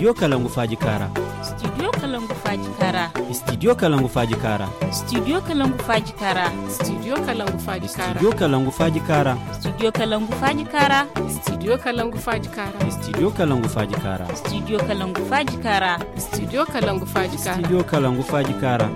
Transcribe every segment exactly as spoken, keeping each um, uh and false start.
Studio Kalangu Faaji Kaara. Studio Kalangu Faaji Kaara. Studio Kalangu Faaji Kaara. Studio Kalangu Faaji Kaara. Studio Kalangu Faaji Kaara. Studio Kalangu Faaji Kaara. Studio Kalangu Faaji Kaara. Studio Kalangu Faaji Kaara. Studio Kalangu Faaji Kaara. Studio Kalangu Faaji Kaara. Studio Kalangu Faaji Kaara. Studio Kalangu Faaji Kaara.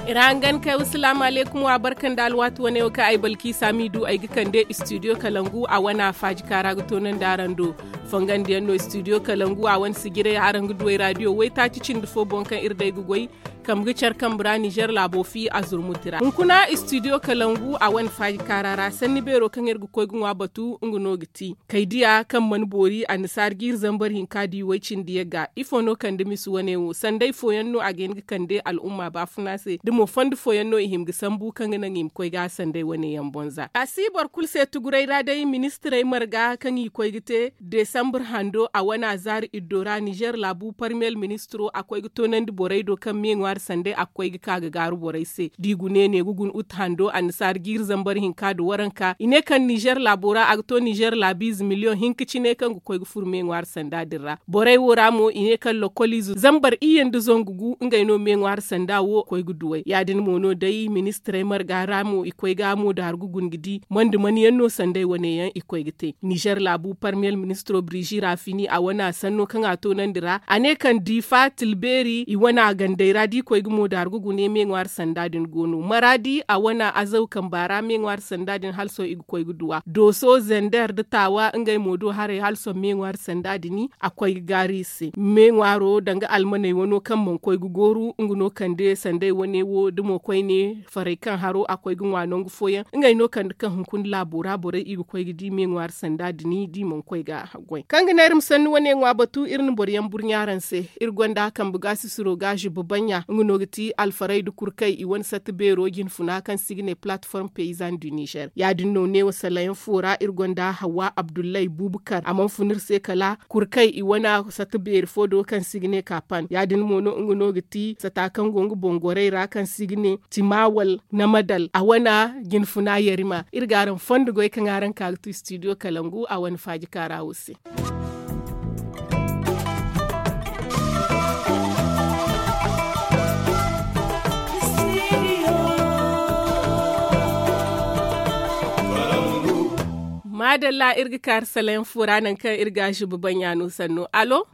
Ira hangan kay, wassalaamu alaykum, wa barka nda alwaati wane wo kaŋ ay Balkiisa m'i du ay ga kande studio Kalangu a wane faaji kaara ga toonandi araŋ do. Fongandiyaŋ no studio Kalangu a wane sijirey araŋ ga du ay raadiyo waytaaci cindi fo boŋ kaŋ iri day ga goy kambe ga care kambe ra Nizer laabo fi a zurmuti ra. Hunkuna studio Kalangu a wane faaji kaara ra sanni beero kaŋ iri ga koy ga ŋwa batu nga no ga ti kaydiya kaŋ mana boori annasaara ga iri zambar hinka di way-cindi yagga. Ifo no kande misa wane wo? Sanday fooyaŋ no a ga hin ga kande al'umma baafuna se da mo fondo fooyaŋ no i hima ga sambu kaŋ ga naŋ i ma koy ga sanday wane yaŋ boŋ za a si boro kulu se tuguray ra day ministirey marga kaŋ i koy ga te desambar hando a wane a zaari iddo ra nizer laabu parmiyel ministiro a koy ga toonandi borey do kaŋ me ŋwaari sanday a ga koy ga ka ga gaaru borey se da i gune ne ga guna utu hando annasaara ga iri zambar hinka nda waranka i ne kaŋ nizer laabo ra a ga to nizer laabiize miliyoŋ hinka cine kaŋ ga koy ga furo me ŋwaari sanda din ra borey wo ra mo i ne kaŋ lokoliize zambar iyye nda zangu gu ngey no me ŋwaari sanda wo koy ga duwey ya- din mo no day ministirey marga ra mo i koy ga mo daaru ga guna ga di manda mana yaŋ no sanday wane yaŋ i koy ga te nizer laabu parmiyel ministiro birizi ra fini a wane a sanno kaŋ a toonandi ra a ne kaŋ diifa tilbeeri i wane a gandey ra da i koy ga mo daaru ga guna me ŋwaari sanda din go no maraadi a wane azaw kamba ra me ŋwaari sanda din hala sohõ i ga koy ga duw'a dooso zender nda taawa ngey mo do haray hala sohõ me ŋwaari sanda din a koy ga gaaru i se me ŋwaaro danga almaney wano kaŋ mana koy ga gooru nga no kande sanday wane wo da mo koyne farey kaŋ haro a koy ga ŋwa nangu fooyaŋ ngey no kande kaŋ hunkuna laabo ra borey i ga koy ga di me ŋwaari sanda din da i mana koy ga goy kaŋ ga ne iri ma sanni wane ŋwa batu iri na boro yaŋ burɲa araŋ se iri gonda kambe gaasisiro ga zubba baɲɲa nga no ga ti alfaray nda kurkay i wane satta beero jinfuna kaŋ se i ga ne palateform peyizan du nizer ya- din no neewo salayaŋ fo ra iri gonda hawa abdullay bubakar a mana fun iri se kala kurkay i wane satta beeri fo do kaŋ se i ga ne kapan ya- din mo no nga no ga ti sata kaŋ go nga boŋ gorey ra kaŋ se i ga ne timawal namadal a wane jinfuna yarima iri ga araŋ fondo goy kaŋ araŋ ka ga tu studio kalangu a wane faaji kaara wo se. Maadalla iri ga kaari salayaŋ fo ra nangu kaŋ iri ga zuba baɲɲa no sanno alo.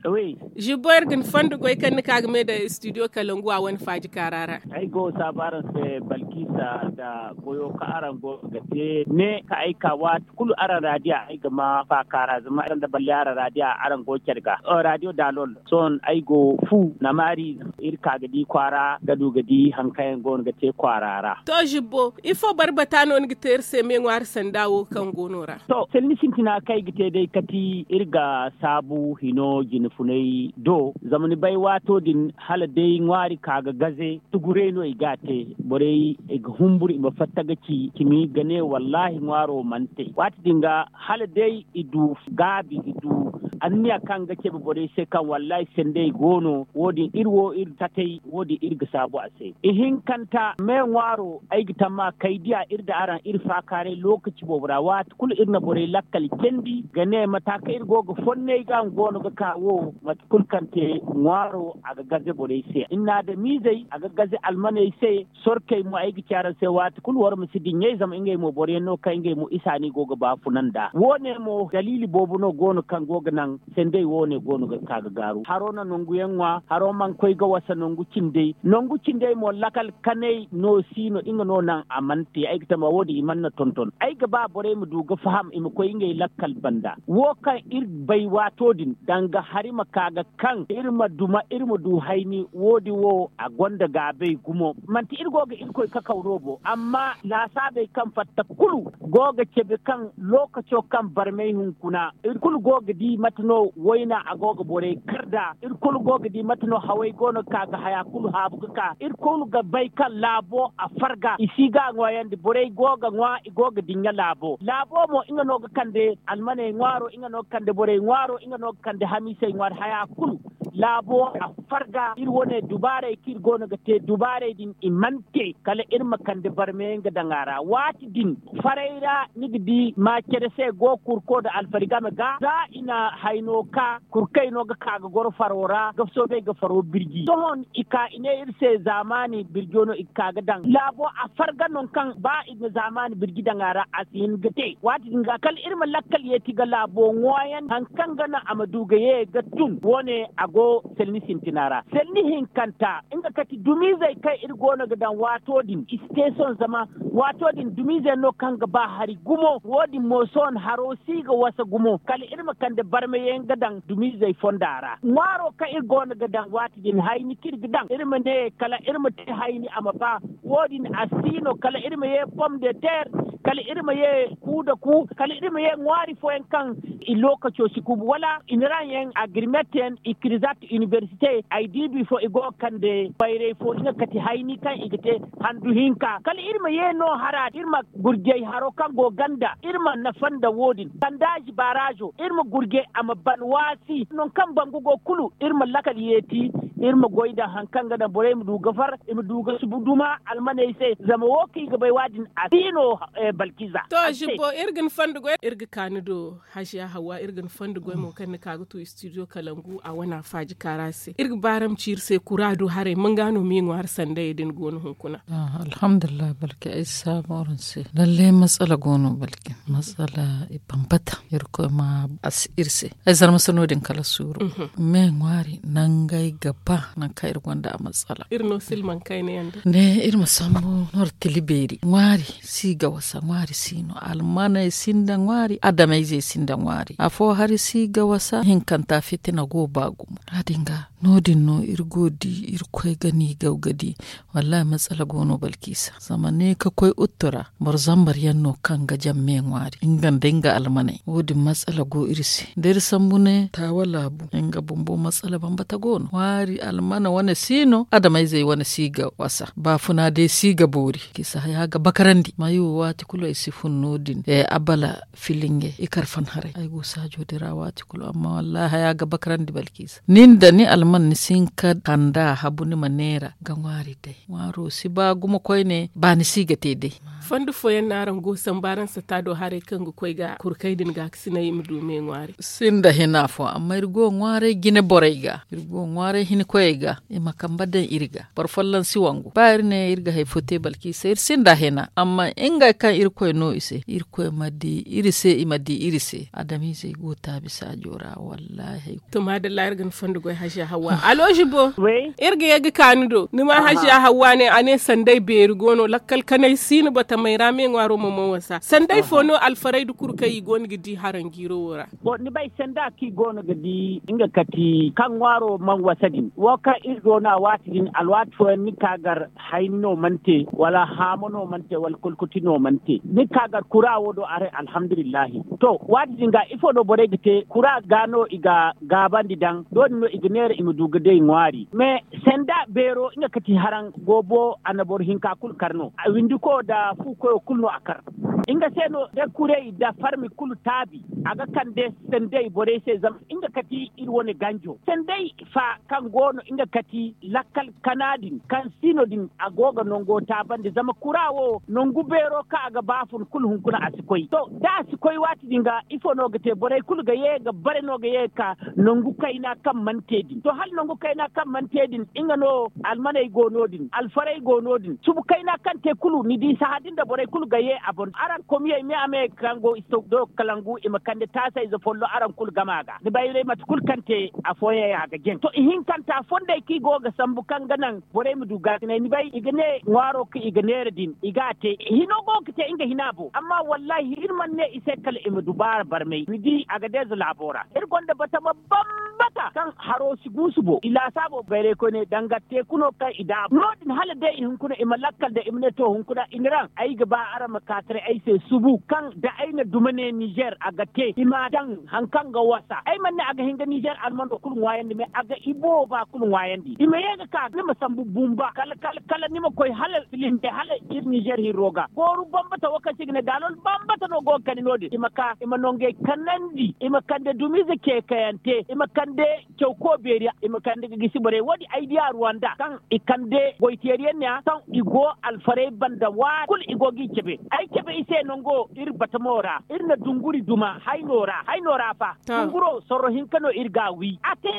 Zubo iri ga ni fondo goy kaŋ ni ka ga me daŋ studio kalangu a wane faaji kaara ra. Ay go saabu araŋ se balkisa nda goyo kaŋ araŋ go ga te ne kaŋ ay ka waati kulu araŋ raadiya ay ga ma faakaara zama araŋ da balle araŋ raadiya araŋ go care ga raadiyo daalol sohõ ay go fu namaari iri ka ga di kwaara ga du ga di hari kaŋ yaŋ go no ga te kwaara ra. To zibbo ifo barbata no ni ga te iri se me ŋwaari sanda wo kaŋ go no ra? To sanni sintina kaŋ ay ga te day kati iri ga saabu hino jine funay do zama ni bay waato din hala day ŋwaari ka ga gaze tuguray no i ga a te borey i ga humburu i ma fatta ga ci cimi ga ne wallaahi ŋwaaro mana te waati din ga hala day i du gaabi i du anniya kaŋ ga cabe borey se kaŋ wallaahi sendey go no wo- din iri wo iri tatay wo- din iri ga saabu a se ihinkanta me ŋwaaro ay ga tamma kay diya iri da araŋ iri faakaaray lookaci boobo ra waati kulu iri na borey lakkal candi ga ne mata kaŋ iri go ga fonnay ga nga go no ga ka wo mate kulu kaŋ te ŋwaaro a ga gaze borey se inna da miizey a ga gaze almaney se sorkey mo ay ga ci araŋ se waati kulu war ma si diɲɲey zama ngey mo boroyaŋ no kaŋ ngey mo isa no i go ga baafuna nd'a wo- ne mo daliili boobo no go no kaŋ go ga naŋ sendey wo- ne go no ga ka ga gaaru haro na nangu yaŋ ŋwa haro mana koy ga wasa nangu cindey nangu cindey mo lakal kanay no si no nga no naŋ a mana te ay ga tama wo- din i mana na tonton ay ga ba borey ma du ga faham i ma koy ngey lakkal banda wo kaŋ iri bay waato din danga hari ma ka ga kaŋ iri ma duma iri ma du hayni wo- din wo a gonda gaabay gumo manti iri go ga irkoy kakaw no bo amma laasaabey kaŋ fatta kulu go ga cabe kaŋ lookaco kaŋ barmay hunkuna iri kulu go ga di mate no wayna a go ga borey kar nd'a iri kulu go ga di mate no haway go no ga ka ga haya kulu haabu ga ka iri kulu ga bay kaŋ laabo a farga i si ga a ŋwaayandi borey go ga ŋwa i go ga dinya laabo laabo mo nga no ga kande almaney ŋwaaro nga no ga kande borey ŋwaaro nga no ga kande hamiisey ŋwaari haya kulu laabo a farga iri wane dubaarey kaŋ iri go no ga te dubaarey din i mana te kala iri ma kande barmeyaŋ ga daŋ a ra waati din. Faray ra ni ga di maacere se go kurko nda alfarigame ga za i na hayno ka kurkey no ga ka ga goro faro ra ga soobay ga faro birji sohõ i ka i ne iri se zaamaani birjo no i ga ka ga daŋ laabo a farga nangu kaŋ ba i na zaamaani birji daŋ a ra a si hin ga te waati din ga kala iri ma lakkal yeeti ga laabo ŋwaayan hari kaŋ ga naŋ a ma du ga ye ga tun wo- ne a go selni sintina ra selni hinkanta nga kati dumiizey kaŋ iri go no ga daŋ waato din i si te sohõ zama waato din dumiizey no kaŋ ga ba hari gumo wo- din mo sohõ haro si ga wasa gumo kala iri ma kande barmayaŋ ga daŋ dumiizey fonda ra ŋwaaro kaŋ iri go no ga daŋ waati din hayni kaŋ iri ga daŋ iri ma ne kala iri ma te hayni a ma ba wo- din a si no kala iri ma ye pom de ter kala iri ma ye ku nda ku kala iri ma ye ŋwaari fooyaŋ kaŋ i lookaco si kuubu wala i na ra yaŋ agrimet yaŋ i kirizat inibersite ay di bifo i go ga kande bayray fo nga kati hayni kaŋ i ga te handu hinka kala iri ma ye no hara iri ma gurjay haro kaŋ go ganda iri ma nafa nda wo- din kandaazi baarazo iri ma gurjay a ma ban waasi nangu kaŋ bangu go kulu iri ma lakkal yeeti iri ma goy daŋ hari kaŋ ga daŋ borey ma du ga far i ma du ga subu duma almaney se zama wo kaŋ i ga bay wo- din a si no balkiza. To zibbo iri ga ni fondo goy iri ga ka ni do haziya hawwa iri ga ni fondo goy mo kaŋ ni ka ga tu studio kalangu a wana faaji kaara se iri ga baaraŋ ci iri se kura do haray manga no ma i ŋwaari sandayey din go no hunkuna. Alhamdulillahi balki ay si saabu araŋ se lalle matsala go no balki matsala i bambata irkoy ma a si iri se ay zarma se no- din kala suuru me ŋwaari nangey ga ba nangu kaŋ iri gonda a matsala iri no silmaŋ kayna yaŋ da ne iri ma sambu nor tili beeri ŋwaari si ga wasa ŋwaari si no almaney sinda ŋwaari adamayzey sinda ŋwaari afo hari si ga wasa hinkanta fitina go ba gumo ya- din ga no- din no iri go di irkoy ga ni gaw ga di wallahi matsala go no balkisa zama ne ka koy uttu ra boro zambar yaŋ no kaŋ ga jaŋ me ŋwaari nga nda nga almaney wo- din matsala go iri se da iri sambu ne taawa laabu nga bumbo matsala bambata go no ŋwaari almana wane si no adamayzey wane si ga wasa baafuna day si ga boori kisa haya ga bakarandi mayo waati kulu ay si fun no- din abala filinge i kar fan haray ay go saajo din ra waati kulu amma wallahi haya ga bakarandi balkisa ni nda ni alman ni si hin ka kanda habu ni ma neera ga ŋwaari day ŋwaaro si ba gumo koyne ba ni si ga te day. Fondo fooyaŋ no araŋ go sambu araŋ sata do haray kaŋ ga koy ga kurkay din ga ga sinay i ma du me ŋwaari sinda hina fo amma iri go ŋwaaray jine borey ga iri go ŋwaaray hinkoyey ga i ma kambe daŋ iri ga boro folloŋ si wangu ba iri ne iri ga hari fo te balki se iri sinda hina amma ngey kaŋ irkoy no i se irkoy ma di iri se i ma di iri se adamiizey go taabi saajo ra wallahi. To maadalla iri ga ni fondo goy haziya hawwa alo zibo iri ga ye ga ka ni do ni ma haziya hawwa ne a ne sanday beeri go no lakkal kanay si ni batamey ra me ŋwaaro mo man wasa sanday fo no alfaray da kulu kaŋ i go no ga di haranjiiro wo ra. Ni bay sanda kaŋ i go no ga di nga kati kaŋ ŋwaaro man wasa din wo kaŋ iri go no a waati din alwaati fooyaŋ ni ka gar hayni no mana te wala haamo no mana te wala kulkuti no mana te ni ka gar kura wo do a ra alhamdulillahi. To waati din ga ifo no borey ga te kura ga no i ga gaabandi daŋ do- din no i ga neera i ma du ga day ŋwaari mais sanda beero nga kati haraŋ goobo a na boro hinka kulu kar no a windiko nda fuukoyo kulu no a kar. Nga se no da kurey nda farmi kulu taabi a ga kande sanday borey se zama nga kati iri wane ganjo sanday fa kaŋ go no nga kati lakkal kana din kaŋ si no din a go ga nango taabandi zama kura wo nangu beero kaŋ a ga ba fun kulu hunkuna a si koy to da a si koy waati din ga ifo no ga te borey kulu ga ye ga bare no ga ye ga ka nangu kayna kaŋ mana te din to hala nangu kayna kaŋ mana te din nga no almaney go no- din alfarey go no- din subu kayna kaŋ te kulu ni di sahã din da borey kulu ga ye a boŋ araŋ komiyey me a me kaŋ go isto do kalangu i ma kande taasayze follo araŋ kulu gama ga ni bay day mate kulu kaŋ te afooyaŋ a ga jaŋ to ihinkanta fondey kaŋ i go ga sambu kaŋ ga naŋ borey ma du gaasinay ni bay i ga ne ŋwaaro kaŋ i ga neera din i ga a te hino go ga te nga hina bo amma wallahi iri mana ne i se kala i ma dubaara barmay ni di a ga deeza laabo ra iri gonda batama bambata kaŋ haro si guusu bo i laasaabo bayray koyne danga teeku no kaŋ i daabu no- din hala day i hunkuna i ma lakkal da i ma ne to hunkuna i na raŋ ay ga ba araŋ ma ka taray ay i se subu kaŋ da ay na duma ne nizer a ga te i ma daŋ hari kaŋ ga wasa ay mana ne a ga hin ga nizer almando kulu ŋwaayandi me a ga i booba kulu ŋwaayandi i ma ye ga ka ni ma sambu bumba kala kala kala ni ma koy hala filinde hala iri nizer hirro ga gooru bambata wo kaŋ se i ga ne daalol bambata no go ga kani no- din i ma ka i ma nangey kanandi i ma kande dumiize ceekayante i ma kande caw ko beeri i ma kande ga gisi borey wo- din ay di a ruwanda kaŋ i kande goy teeri yaŋ ne- ya kaŋ i go alfarey banda waati kulu i go ga i cabe ay cabe i se nango iri batamo ra iri na dunguri duma hayno ra hayno ra fa dunguro sorro hinka no iri ga a wi a te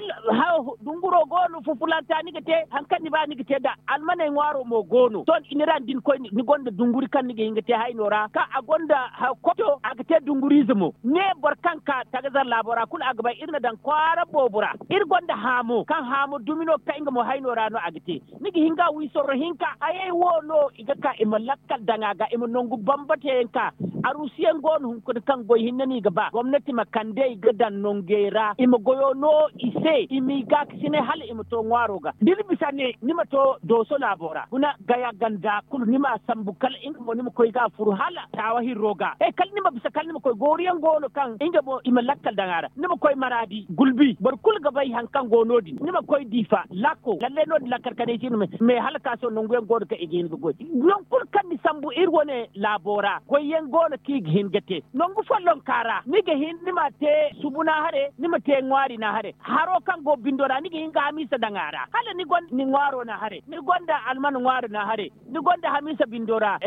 dunguro go no fufulanta ni ga te hari kaŋ ni ba ni ga te nd'a almaney ŋwaaro mo go no sohõ i ni ra ni di ni koy ni gonda dunguri kaŋ ni ga hin ga te hayno ra kaŋ a gonda koto a ga te dunguriize mo ne boro kaŋ ka tagazar laabo ra kulu a ga bay iri na daŋ kwaara boobo ra iri gonda haamo kaŋ haamo dumi no kaŋ nga mo hayno ra no a ga te ni ga hin ga a wi sorro hinka hayey wo no i ga ka i ma lakkal daŋ a ga i ma nangu bambata yaŋ ka aruusu yaŋ go no hunkuna kaŋ goy hinne no i ga ba gomnati ma kande i ga daŋ nangey ra i ma goyo no i se i m'i gaakasinay hala i ma to ŋwaaro ga da ni bisa ne ni ma to dooso laabo ra guna gaya ganda kulu ni m'a sambu kala nga mo ni ma koy ga a furu hala taawa hirro ga he kala ni ma bisa kala ni ma koy gooru yaŋ go no kaŋ nga mo i ma lakkal daŋ a ra ni ma koy maraadi gulbi boro kulu ga bay hari kaŋ go no- din ni ma koy diifa lakko lallay no- din lakkal kanay si no me hala ka sohõ nangu yaŋ go no kaŋ i ga hin ga goy nangu kulu kaŋ ni sambu iri wane laabo ra goy yaŋ go no kaŋ i ga hin ga te nangu follonka ra ni ga hin ni m'a te subu na hare ni ma te ŋwaari na hare haro kaŋ go bindo ra ni ga hin ga hamiisa daŋ a ra hala ni gonda ni ŋwaaro na hare ni gonda alman ŋwaaro na hare ni gonda hamiisa bindo ra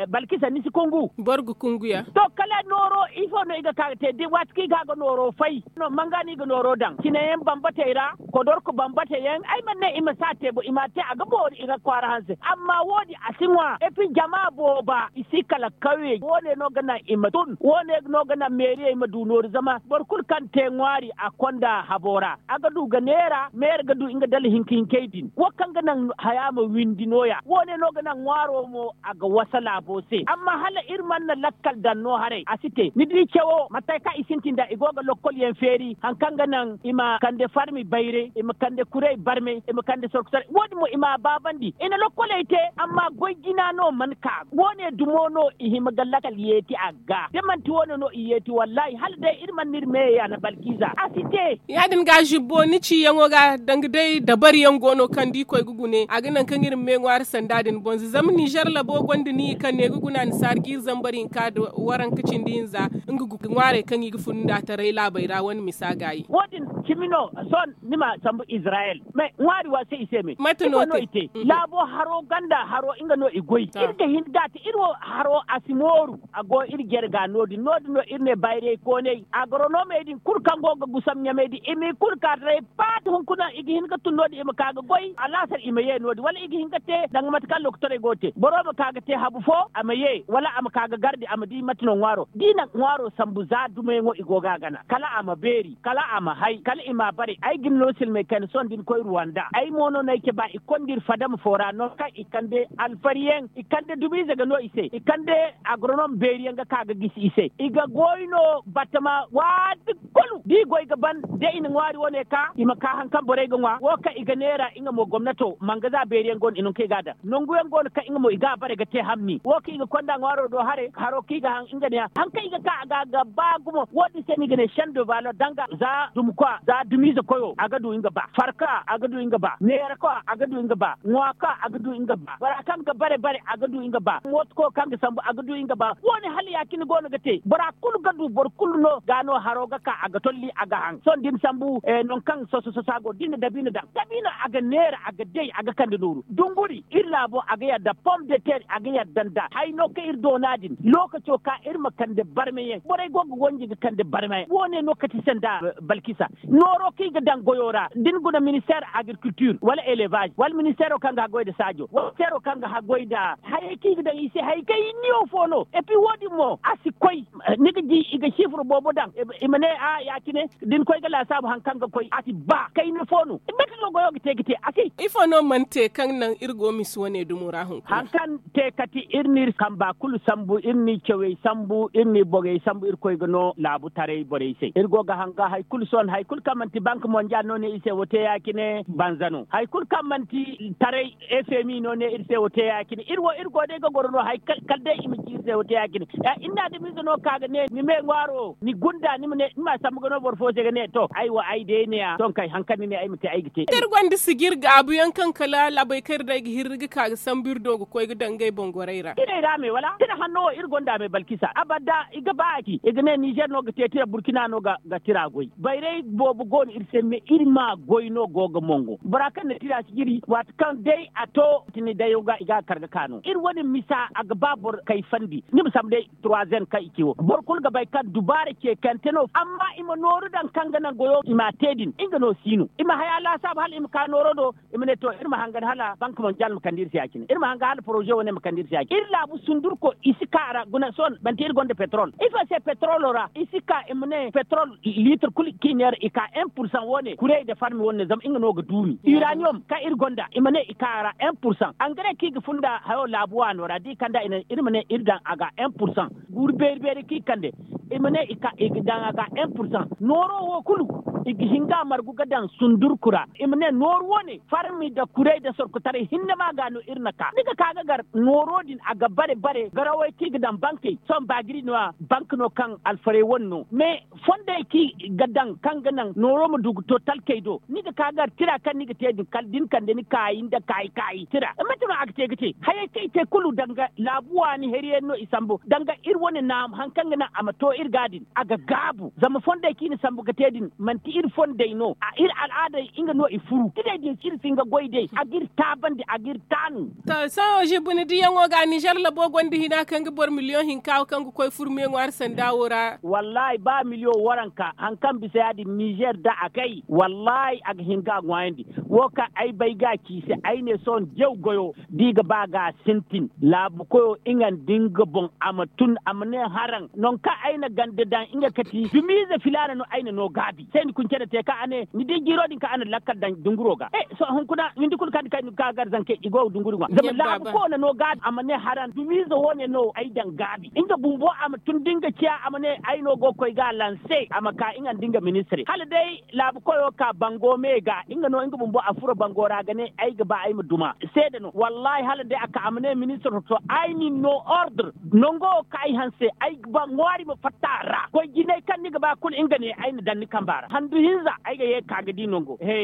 balkisa ni si kungu boro ga kungu ya to kala nooro ifo no i ga ka ga te waati kaŋ i ga ga nooro fay no manga no i ga nooro daŋ cine yaŋ bambatey ra kodorku bambata yaŋ ay mana ne i ma si a te bo i m'a te a ga boori i ga kwaara hanse amma wo- din a si ŋwa epi jama booba i si kala kawye wo- ne no ga naŋ i ma tun wo- ne no ga naŋ meeriyey ma du nooru zama boro kulu kaŋ te ŋwaari a konda habo ra a ga du ga neera meera ga du nga dala hinka hinkey din wo kaŋ ga naŋ haya ma windi no- ya wo- ne no ga naŋ ŋwaaro mo a ga wasa laabo se amma hala iri mana lakkal daŋ no haray a si te ni di cawo mate kaŋ i sintin da i go ga lokkol yaŋ feeri hari kaŋ ga naŋ i ma kande farmi bayray i ma kande kuray barmay i ma kande sorku saray wo- din mo i m'a baabandi i na lokkoley te amma goy jina no mana ka wo- ne dumo no i hima ga lakkal yeeti a ga da manti wo- ne no i yeeti wallaahi hala day iri mana no iri meeyey a na balkiiza a si te ya- din ga zibbo ni ciyaŋo ga danga day dabari yaŋ go no kaŋ da i koy ga gune a ga naŋ kaŋ iri ma me ŋwaari sanda din bonza zama nizer labo gonda ni kaŋ ne ga guna ni saari ga iri zambar hinka nda waranka cindi hinza nga ga ŋwaarey kaŋ i ga fun nda taray laabey ra wane misa gaayi wo- din cimi no sohõ ni ma sambu izirayel mais ŋwaari wa se i se me mate no te laabo haro ganda haro nga no i goy iri ga hin ga te iri wo haro a si mooru a go iri jare ga no- din no- din no iri ne bayrey kooney agronomey din kulu kaŋ go ga gusam ɲamey din i m'i kulu ka taray paati hunkuna i ga hin ga tun no- din i ma ka ga goy alaasar i ma ye no- din wala i ga hin ga te danga mate kaŋ lokotorey go ga te boro ma ka ga te habu fo a ma ye wala a ma ka ga gardi a ma di mate no ŋwaaro da i na ŋwaaro sambu za dumayaŋo i go ga a gana kala a ma beeri kala a ma hay kala i m'a bare ay ga ni no silmey kayna sohõ da ni koy ruwanda ay mo no no ay cabe i konda iri fadama fo ra nangu kaŋ i kande alfariyaŋ i kande dumiize ga no i se i kande agronom beeriyaŋ ga ka ga gisi i se i ga goy no batama waati kulu da i goy ga ban da i na ŋwaari wane ka i ma ka hari kaŋ borey ga ŋwa wo kaŋ i ga neera nga mo gomnato mangaza beeriyaŋ go no i nangu kaŋ i ga a daŋ nangu yaŋ go no kaŋ nga mo i ga a bare ga te hamni wo kaŋ i ga konda ŋwaaro do haray haro kaŋ i ga haŋ nga ne ya hari kaŋ i ga ka a ga ga ba gumo wo- din se no i ga ne sendo baalo danga za dumkwa za dumiize koyo a ga du nga ba farka a ga du nga ba neera kwa a ga du nga ba ŋwa kwa a ga du nga ba bora kaŋ ga bare bare a ga du nga ba mooto ko kaŋ ga sambu a ga du nga ba wo- ne hala ya- cine go no ga te bora kulu ga du boro kulu no ga no haro ga ka a ga tolli a ga haŋ sohõ da ni sambu nangu kaŋ soso soso a go da ni na dabiina daŋ dabiina a ga neera a ga day a ga kande nooru dunguri iri laabo a ga yadda pom de ter a ga yadda nda hayno kaŋ iri doona din lookaco ka iri ma kande barmayaŋ borey go ga wanji ga kande barmayaŋ wo- ne no kati sanda balkisa nooro kaŋ i ga daŋ goyo ra da ni guna ministeer agrikultir wala elevaz wala ministeero kaŋ ga haggoy nda saajo wala ministeero kaŋ ga haggoy nda hayey kaŋ i ga daŋ i se hayey kaŋ i niyo fo no epi wo- din mo a si koy ni ga di i ga sifir boobo daŋ i ma ne a ya- cine da ni koy ga laasaabu hari kaŋ ga koy a si ba kayna fo no mate no goyo ga te ga te a si ifo no mana te kaŋ naŋ iri go misi wane dumo ra hunkuna hari kaŋ te kati iri n'iri kamba kulu sambu iri n'i cawey sambu iri n'i bogey sambu irkoy ga no laabu taray borey se iri go ga hanga hari kulu sohõ hari kulu kaŋ manti bank mondial no ne iri se wo te ya- cine banza no hari kulu kaŋ manti taray, fmi no ne iri se wo te ya- cine iri wo iri go day ga goro no hari kala day i ma ci iri se wo te ya- cine. Iri na adamize no ka ga ne ni me ŋwaaro ni gunda ni ma ne ni ma a sambu ga no boro fo se ga ne to ay wo ay day ne ya sohõ kay hari kaŋ ni ne ay ma te ay ga te. Da iri gonda sijir gaabu yaŋ kaŋ kala laabey kaŋ iri day ga hirri ga ka ga sambu iri do ga koy ga daŋ ngey boŋ gorey ra. Iri ra me wala tira hanno wo iri gonda me balkisa abada i ga ba a ci i ga ne nizer no ga te tira burkina no ga tira goy bayray boobo go no iri se me iri ma goy no go ga mongo bora kaŋ na tira sijiri waati kaŋ day a to tini dayo ga i ga a kar ga ka no iri wane misa a ga ba boro kayfandi ni ma sambu day troisième kaŋ i ci wo boro kulu ga bay kaŋ dubaara ce kante no amma i ma nooru daŋ kaŋ ga naŋ goyo i m'a te din nga no si no i ma haya laasaabu hala i ma ka nooro do. I ma ne to iri ma hangan hala bank mondial ma kande iri se ya- cine iri ma hangan hala poroze wane ma kande iri se ya- cine iri laabu sundurko i si ka a ra guna sohõ manti iri gonda petrol ifo se petrolo ra i si ka i ma ne petrol litre kulu kaŋ i neera i ka un pour cent wane kurey nda farmi wane zama nga no ga duumi uranium kaŋ iri gonda i ma ne i ka a ra un pour cent engrais kaŋ i ga funda hayo laabu waano ra da i kand'a iri ma ne iri daŋ a ga un pour cent guuru beeri beeri kaŋ i kande i ma ne i ga daŋ a ga un pour cent nooro wo kulu i ga hin ga a margu ga daŋ sundurku ra i ma ne nooru wane farmi nda kuray nda sorkotaray hinne ma ga no iri na ka ni ga ka ga gar nooro din a ga bare bare garawey kaŋ i ga daŋ bankey sohõ baagiri no- ya bank no kaŋ alfarey wane no mais fondey kaŋ i ga daŋ kaŋ ga naŋ nooro ma du ga to talkey do ni ga ka gar tira kaŋ ni ga te din kala da ni kande ni kaayi nda kaayi kaayi tira mate no a ga te ga te hayey kaŋ i te kulu danga laabu waani hariyaŋ no i sambu danga iri wane naamu hari kaŋ ga naŋ a ma to iri ga din a ga gaabu zama fondey kaŋ i na sambu ga te din manti iri fondey no a iri al'aadey nga no i furu tirey din si iri si hin ga goy day a ga iri taabandi a ga iri taanu. To sohõ zibu ni diyaŋo ga nizer labo gonda hina kaŋ ga boro miliyoŋ hinka wo kaŋ ga koy furme ŋwaari sanda wo ra. Wallaahi ba miliyoŋ waranka hari kaŋ bisa ya- din nizer da a kay wallaahi a ga hin ga a ŋwaayandi. Wo kaŋ ay bay ga a ci i se ay ne sohõ jaw goyo da i ga ba ga a sintin laabu koyo nga nda nga boŋ a ma tun a ma ne haraŋ nangu kaŋ ay na ganda daŋ nga kati dumiize filaana no ay na no gaabi se ni kuncene te kaŋ a ne ni di jiiro din kaŋ a na lakkal daŋ dunguro ga sohõ hunkuna windi kulu kaŋ ni kay ni ga ka gar zankey i go ga dunguri ŋwa zama laabu koyo na no gaabi a ma ne haraŋ dumiize wo- ne no ay daŋ gaabi nga bumbo a ma tun da nga ciya a ma ne ay no go ga koy ga a lanse a ma ka nga nda nga ministirey hala day laabu koyo ka bango me ga nga no nga bumbo a furo bango ra ga ne ay ga ba ay ma duma seede no wallaahi hala day a ka a ma ne ministir to ay nin no ordre nango wo ka ay hanse ay ga ba ŋwaari ma fatta a ra koy jinay kaŋ ni ga ba kulu nga ne ay na daŋ ni kamba ra handu hinza ay ga ye ga ka ga di nango he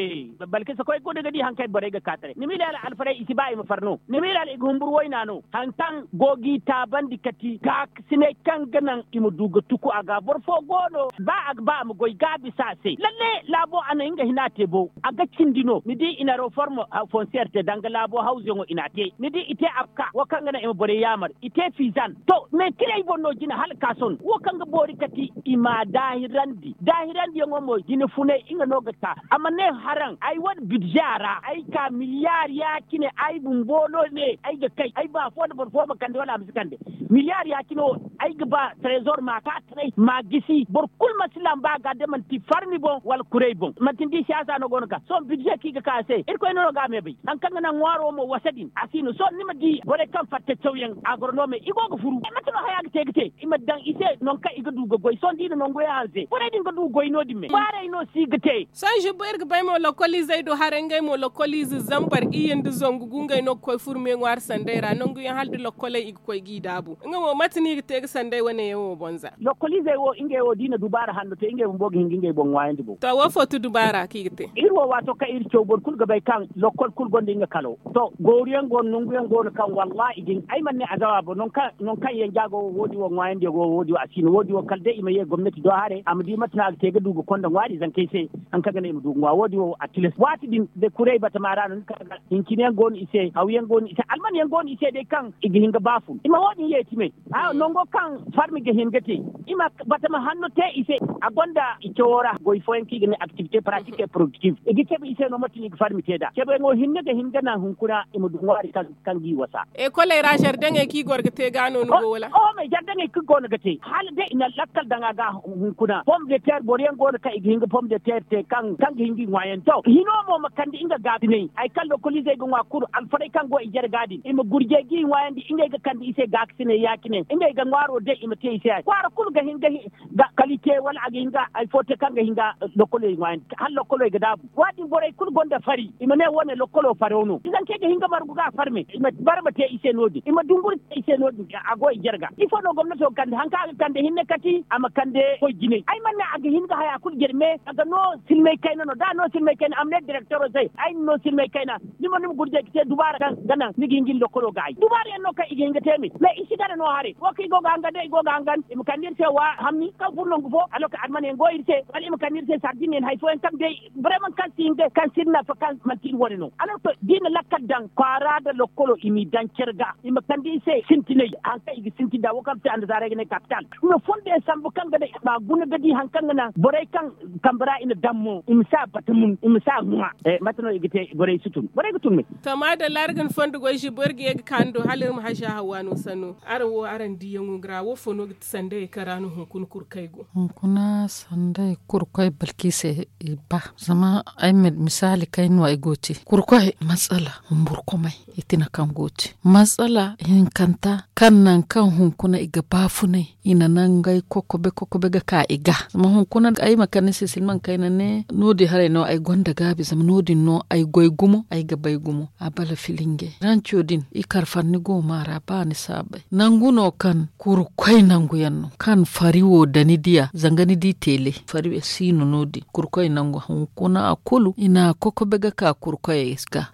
balkisa koy guna ga di hari kaŋ borey ga ka taray ni ma iri hala alfarey i si ba i ma far no ni ma iri hala i ga humburu wayna no hari kaŋ go g'i taabandi kati ga sinay kaŋ ga naŋ i ma du ga tuku a ga boro fo go no ba a ga ba a ma goy ga a bisa a se lalle laabo a na nga hina te bo a ga cindi no ni di i na reform fonsiyer te danga laabo hawzuyaŋo i n'a te ni di i te abka wo kaŋ ga naŋ i ma borey yaamar i te fiizan to me tirey boŋ no jine hala kaason wo kaŋ ga boori kati i m'a daahirandi daahirandiyaŋo mo jine funay nga no ga ka a ma ne haraŋ ay wane bidze a ra ay ka miliyar ya- cine ay bumbo no ne ay ga kay ay ba fo nda boro fo ma kande wala a ma si kande miliyar ya- cine wo ay ga ba trezor ma ka taray ma gisi boro kulu ma si lamba ga da manti farmi boŋ wala kuray boŋ manti ni di siyaasa no go no ga sohõ bidze kaŋ i ga ka a se irkoy no no ga a me bay hari kaŋ ga naŋ ŋwaaro mo wasa din a si no sohõ ni ma di borey kaŋ fatta cawyaŋ agronomey i go ga furu mate no haya ga te ga te i ma daŋ i se nangu kaŋ i ga du ga goy sohõ da i na nangu yaŋ hanse borey din ga du goy no- din me kwaarey no si ga te sohõ zubbo iri ga bay mo lokoliizey do haray ngey mo lokoliize zambar iyye nda zangu gungey no ga koy furme ŋwaari sanday ra nangu yaŋ hala da lokoley i ga koy g'i daabu nga mo mate no i ga te ga sanday wane yaŋ wo boŋ za lokoliizey wo ngey wo da i na dubaara hanno te ngey bumbo ga hin ga ngey boŋ ŋwaayandi boŋ to wo fo ti dubaara kaŋ i ga te iri wo waato kaŋ iri caw boro kulu ga bay kaŋ lokol kulu gonda nga kalo to gooru yaŋ go no nangu yaŋ go no kaŋ wallahi i ga hin ay mana ne a zawa boŋ nangu kaŋ yanja go wo wo- din wo ŋwaayandi yaŋ go wo- din wo a si no wo- din wo kala day i ma ye gomnati do haray a ma di mate no a ga te ga du ga konda ŋwaari zankey se hari kaŋ ga naŋ i ma du ga ŋwa wo- din wo a tilas waati din da kuray batama ra no ni ka ga hincine yaŋ go no i se haw yaŋ go no i se alman yaŋ go no i se day kaŋ i ga hin ga baafu i ma wo- din yeeti me nango kaŋ farmi ga hin ga te i ma batama hanno te i se a gonda i cawo ra goy fooyaŋ kaŋ i ga ne activité pratique et productive i ga cabe i se no mate no i ga farmi te nd'a cabeyaŋo hinne ga hin ga naŋ hunkuna i ma du ŋwaari kaŋ g'i wasa ekoley ra zardeŋey kaŋ i goro ga te ga no ni go wala oho me zardeŋey kaŋ go no ga te hala day i na lakkal daŋ a ga hunkuna pom de terre boro yaŋ go no kaŋ i ga hin ga pom de teeri te kaŋ ga hin ga i ŋwaayan to hino mo ma kande nga gaabinay hari kaŋ lokoliizey ga ŋwa kulu alfarey kaŋ go i jare ga din i ma gurjey ga i ŋwaayandi ngey ga kande i se gaakasiney ya-cine ngey ga ŋwaaro day i ma te i se hari kwaara kulu ga hin ga kala i te wala a ga hin ga hari fo te kaŋ ga hin ga lokkoley ŋwaayandi hala lokkoley ga daabu. Waati borey kulu gonda fari i ma ne wo- ne lokkolo faro no izankey ga hin ga margu ga a farme i ma barma te i se no- din i ma dunguri te i se no- din a go i jarga ifo no gomnato ga kande hari kaŋ a ga kande hinne kati a ma kande koy jinay ay mana ne a ga hin ga haya kulu jarme a ga no silmay kayna no da a no silmay kayna a ma ne direktoro se ay na no silmay kayna ni ma ni ma gurjay ga te dubaara kaŋ ga naŋ ni ga hin ga ni lokkolo ga ay dubaara yaŋ no kaŋ i ga hin ga te me mais i si gana no haray wo kaŋ i go ga hangan day i go ga hangan i ma kande iri se wa hamni kaŋ furo nangu fo alloka almana yaŋ go iri se wala i ma kande iri se sardin yaŋ hari fooyaŋ kaŋ day bareman kaŋ si hin ga kaŋ si iri nafa kaŋ manti iri wane no alloka da i na lakkal daŋ kwaara nda lokkolo i m'i daŋ care ga i ma kande i se sintinay hari kaŋ i ga sintin nd'a wo kaŋ ga te annasaarey ga ne kapital i ma fondo yaŋ sambu kaŋ ga naŋ i ma guna ga di hari kaŋ ga naŋ borey kaŋ kambe ra i na daŋ mo i ma si a bata mun i ma si a ŋwa. Mate no i ga te borey si tun borey ga tun me. To maadalla araŋ ga ni fondo goy zibo iri ga ye ga ka ni do hala iri ma haza hawa no sanno araŋ wo araŋ diyaŋo ga ra wo fo no ga ti sandayey kaŋ ra no hunkuna kurkey go hunkuna sandayey kurkey balki se i ba zama ay ma misaali kaŋ ay no ay go ga te kurkey matsala humburkumey i tina kaŋ go ga te matsala hinkanta kaŋ nangu kaŋ hunkuna i ga baafunay i na nangey kokobe kokobe ga ka i ga zama hunkuna ay ma kande ni se silmaŋ kayna ne no- din haray no ay gonda gaabi zama no- din no ay goy gumo ay ga bay gumo a bala filingey ranco din i kar farni go ma ra ba ni si a bay nangu no kaŋ kurkoy nangu yaŋ no kaŋ fari wo da ni diya zanga ni di teele fari si no no- din kurkoy nangu hunkuna a kulu i na a kokobe ga ka kurkoyey ga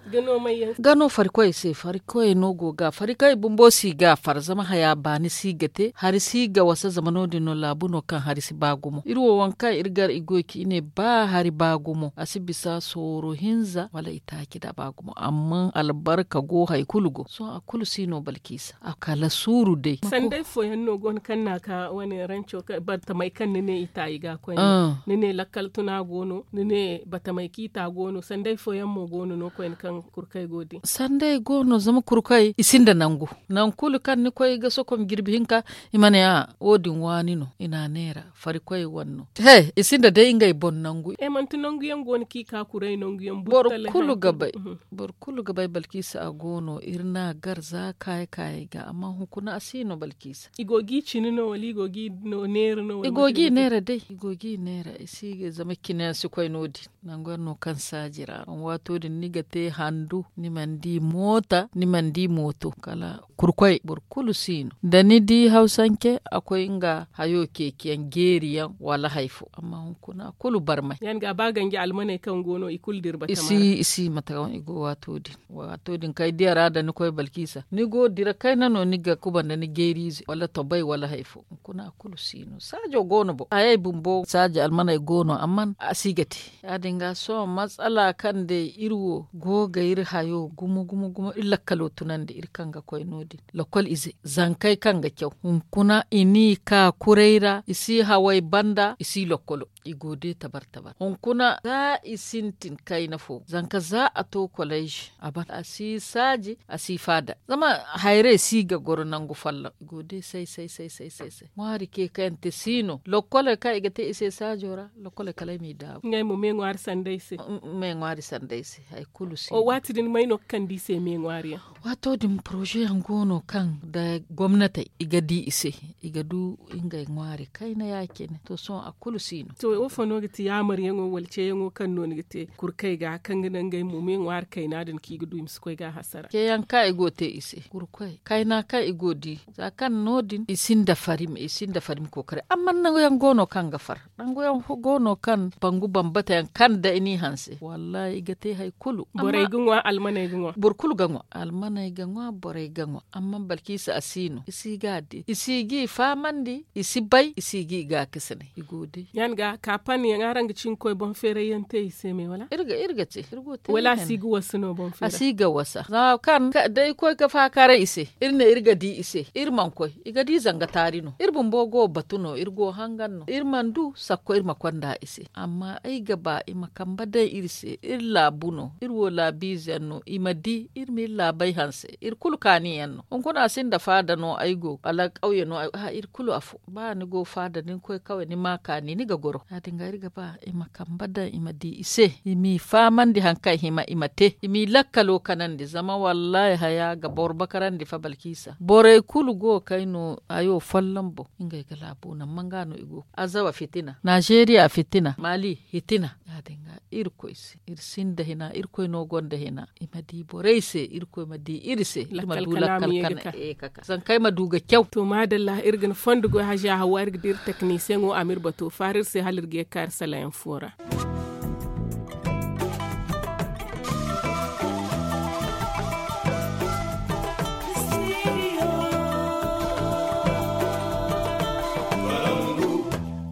ga no farikoyey se farikoyey no go ga farikoyey bumbo si ga far zama haya baani si ga te hari si ga wasa zama no- din no laabu no kaŋ hari si ba gumo iri wo waŋ kaŋ iri gar i goy ka i ne ba hari ba gumo a si bisa sooro hinza wala i taaci da ba gumo amma albarka go hari kulu go sohõ a kulu si no balkiisa a kala suuru day. Sanday fooyaŋ no go no kaŋ na a ka wane ranco batamey kaŋ ni ne i ta i ga koyne ni ne lakkal tuna go no ni ne batamey kaŋ i ta go no sanday fooyaŋ mo go no no koyne kaŋ kurkey go din sanday go no zama kurkey i sinda nangu nangu kulu kaŋ ni koy ga sokom jirbi hinka i ma ne a wo- din waani no i na a neera farikoy wane no he i sinda day ngey boŋ nangu. Manti nangu yaŋ go no kaŋ i ka kuray nangu yaŋ boro kulu ga bay boro kulu ga bay balkiisa a go no iri na a gar za kaayi kaayey ga amma hunkuna a si no balkiisa i go ga i cine no wala i go ga i neera no wala i go ga i neera day i go ga i neera i si ga zama cine yaŋ si koy no- din nangu yaŋ no kaŋ saaji ra waato din ni ga te handu ni mana di moota ni mana di mooto kala kurkoy boro kulu si no da ni di hawsance a koy nga hayo ceeci yaŋ jeeri yaŋ wala hari fo amma hunkuna kulu barmay. Yaŋ ga ba ganji almaney kaŋ go no i kulu dira batama ra i si mate kaŋ i go waato din waato din kaŋ ay diya ra da ni koy balkiisa ni go dira kayna no ni ga kuba nda ni jeeriize wala tobay wala hari fo hunkuna kulu si no saajo go no boŋ hayey bumbo saaji almaney go no amma a si ga te ya- din ga sohõ matsala kaŋ day iri wo go ga iri hayo gumo gumo gumo iri lakkalo tunandi iri kaŋ ga koy no- din lakkol ize zankey kaŋ ga caw hunkuna i n'i ka kuray ra i si hawey banda i si lakkolo i go day tabar tabar hunkuna za i sintin kayna fo zanka za a to koleyze a ban a si saaji a si faada zama hayrey si ga goro nangu folloŋ i go day say say say say say ŋwaari ceekayante si no lokkoley kaŋ i ga te i se saajo ra lokkoley kala ay m'i daabu ngey mo me ŋwaari sanda ay se me ŋwaari sanda ay se hari kulu si no waati din may no ga kande i se me ŋwaari yaŋ waato din poroze yaŋ go no kaŋ da gomnatey i ga di i se i ga du ngey ŋwaari kayna ya- cine to sohõ a kulu si no to wo fo no ga ti yaamar yaŋo wala ceeyaŋo kaŋ no ni ga te kurkey ga kaŋ ga naŋ ngey mo me ŋwaari kayna din kaŋ i ga du i ma si koy ga a hasara ceeyaŋ kaŋ i go ga te i se kurkoy kayna kaŋ i go ga di za kaŋ no- din i sinda fari ma i sinda fari ma kookari amma nangu yaŋ go no kaŋ ga far nangu yaŋ go no kaŋ bangu bambata yaŋ kaŋ da i n'i hanse wallahi i ga te hari kulu borey ga ŋwa almaney ga ŋwa boro kulu ga ŋwa almaney ga ŋwa borey ga ŋwa amma balkiisa a si no i si ga a di i si ga i fahamandi i si bay i si ga i gaakasinay i go day yaŋ ga kaapan yaŋ araŋ ga cin koy boŋ feeray yaŋ te i se me wala iri ga te wala a si ga wasa no boŋ feeray a si ga wasa zama kaŋ da i koy ga faakaaray i se iri ne iri ga di i se iri mana koy i ga di zanga taari no iri bumbo go batu no iri go hangan no iri mana du sakko iri ma konda i se amma ay ga ba i ma kambe daŋ iri se iri laabu no iri wo laabiize yaŋ no i ma di iri ma iri laabey hanse iri kulu kaani yaŋ no hunkuna a sinda faada no ay go wala kawye no iri kulu afo ba ni go faada da ni koy kawye ni ma kaani ni ga goro Ya- din ga iri ga ba i ma kambe daŋ i ma di i se, i m'i fahamandi hari kaŋ i hima i ma te, i m'i lakkalo kanandi zama wallaahi haya ga boro bakarandi fa balkiisa borey kulu go ga kay no hayo folloŋ boŋ. Ngey ga laabo naŋ manga no i go azawa fitina, naazeeriya fitina, maali fitina. Ya- din ga irkoy se iri sinda hina irkoy no gonda hina. I ma di borey se irkoy ma di iri se iri ma du lakkal kana e ka ka zankey ma du ga caw. To maadalla iri ga ni fondo goy haziya hawa iri ga di iri teknisiyeŋo a ma iri bato faara iri se hala iri ga ye ga ka iri salayaŋ fo ra.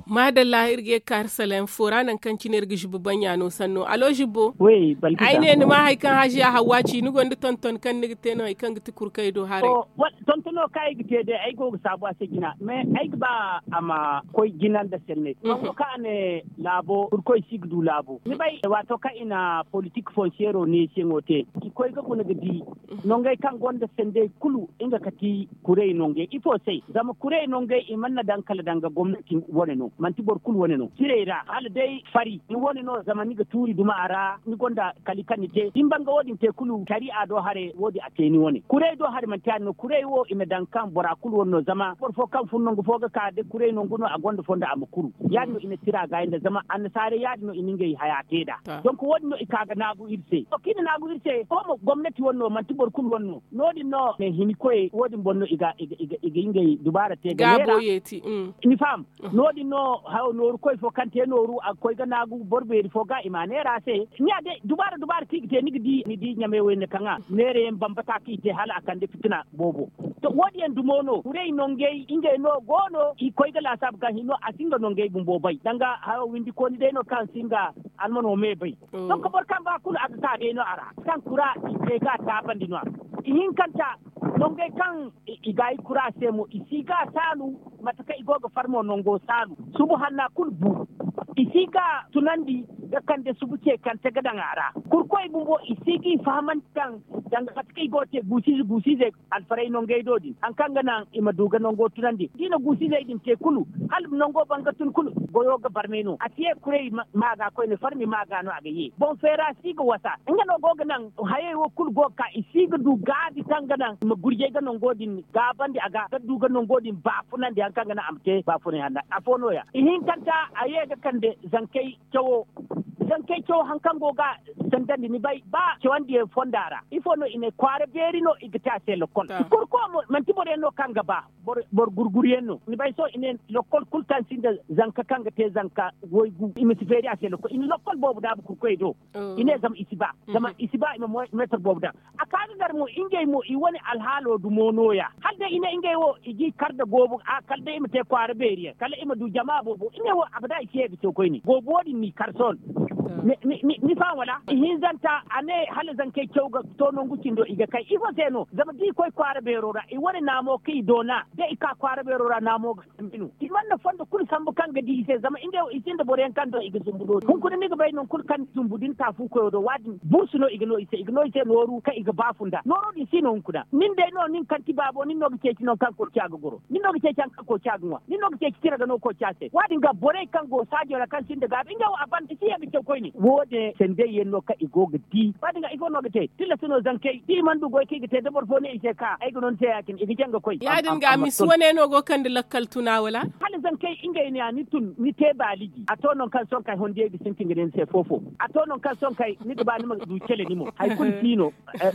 Maadalla iri ga ye ga ka iri salayaŋ fo ra nangu kaŋ cine iri ga zubba baŋ ya no sanno alo zubbo. Ay ne ni ma hari kaŋ haziya hawa ci ni gonda tonton kaŋ ni ga te no hari kaŋ ga ti kurkey do haray. Tontono kaŋ ay ga te day ay go ga saabu a se jina mais ay ga ba a ma koy jina nda sanney nango kaŋ a ne laabo kurkoy si ga du laabo ni bay waato kaŋ i na politik fonseero neesiyaŋo te i koy ga guna ga di nongey kaŋ gonda sandey kulu nga ga ti kurey nongey ifo se zama kurey nongey i mana daŋ kala daŋ ga gomnati wane no manti boro kulu wane no cirey ra hala day fari ni wane no zama ni ga tuuri duma a ra ni gonda kali kaŋ ni te din banga wo- din te kulu sariya do haray wo- din a te ni wane kurey do haray manti ya- din no kurey wo i ma daŋ kaŋ bora kulu wane no zama boro fo kaŋ fun nangu fo ga ka da kurey nangu no a gonda fondo a ma kuru ya- din no i na tira gaayi nda zama annasaarey ya- din no i na ngey haya te nd'a donk wo- din no i ka ga naagu iri se to kaŋ i na naagu iri se sohõ mo gomnati wane no manti boro kulu wane no no- din no ne hini koyey wo- din boŋ no i ga i ga i ga i ga ngey dubaara te ga neera ni faham no- din no hayo nooru koy fo kaŋ te nooru a ga koy ga naagu boro beeri fo ga i ma a neera a se ni ya day dubaara dubaara kaŋ i ga te ni ga di ni di ɲamey wo- din kaŋ a neera yaŋ bambata kaŋ i te hala a kande fitina boobo to wo- din yaŋ dumo no kurey nongey ngey no go no i koy ga laasaabu kaŋ hino a si nga nongey bumbo bay danga hayo windi kooni day no kaŋ si nga almano me bay donk boro kaŋ ba kulu a ga ka day no a ra kaŋ kura i te ga a taabandi no- ya ihinkanta nongey kaŋ i ga i kura se mo i si ga a saalu mate kaŋ i go ga farmo nango saalu subu hanna kulu bu i si ga a tunandi ga kande subu ceekante ga daŋ a ra kurkoy bumbo i si ga i fahamandi kaŋ danga mate kaŋ i go ga te guusiize guusiizey alfaray nongey do din hari kaŋ ga naŋ i ma du ga nango tunandi da i na guusiizey din te kulu hala nango banga tun kulu goyo ga barmay no a si ye kuray ma ga koyne farmi ma ga no a ga ye boŋ feera si ga wasa nga no go ga naŋ hayey wo kulu go ga ka i si ga du gaabi kaŋ ga naŋ i ma gurjay ga nango din gaabandi a ga ga du ga nango din baafunandi hari kaŋ ga naŋ a ma te baafunay hanna afo no- ya ihinkanta a ye ga kande zankey cawo zankey cawo hari kaŋ go ga sandandi ni bay ba cawandiyaŋ fonda ra ifo no i ne kwaara beeri no i ga te a se lokkol i kor ko mo manti boro yaŋ no kaŋ ga ba boro gurguru yaŋ no ni bay sohõ i ne lokkol kulu kaŋ sinda zanka kaŋ ga te zanka waygu i ma si feeri a se lokkol i na lokkol boobo daabu kurkoy do i ne zama i si ba zama i si ba i ma meetar boobo daŋ a ka ga gar mo ngey mo i wane alhaalo dumo no- ya hala day i ne ngey wo i g'i kar nda goobu a kala day i ma te kwaara beeri yaŋ kala i ma du jama boobo i ne wo abada i si ye ga caw koyne goobu wo- din n'i kar sohõ ni faham wala ihinzanta a ne hala zankey caw ga to nangu cindo i ga kay ifo se no zama da i koy kwaara beero ra i wane naamo kaŋ i doona da i ka kwaara beero ra naamo ga sambu no i mana fondo kulu sambu kaŋ ga di i se zama ngey wo i sinda boro yaŋ kaŋ do i ga zumbu no hunkuna ni ga bay nangu kulu kaŋ ni zumbu da ni taafu koyo do waadin bursu no i ga no i se i ga no i se nooru kaŋ i ga baafu nda nooro din si no hunkuna nin day no nin kaŋ ti baabo nin no ga ceeci nangu kaŋ koociya ga goro nin no ga ceeci hari kaŋ koociya ga ŋwa nin no ga ceeci tira ga no koociya se waadin ga borey kaŋ go saajo ra kaŋ sinda gaabi ngey wo a ban i si ye ga caw koyne wo- din sandey yaŋ no kaŋ i go ga di waadin ga ifo no ga te tilas no zankey da i mana du goy kaŋ i ga te da boro fo ne i se ka ay ga no ni se ya- cine i ga jaŋ ga koy ya- din ga misi wane no go ga kande lakkal tuna wala hala zankey ngey ne a ni tun ni te baaliji a to nangu kaŋ sohõ kay hondiyey ga sintin ga ne ni se fo-fo a to nangu kaŋ sohõ kay ni ga ba ni ma du cele ni mo hari kulu si no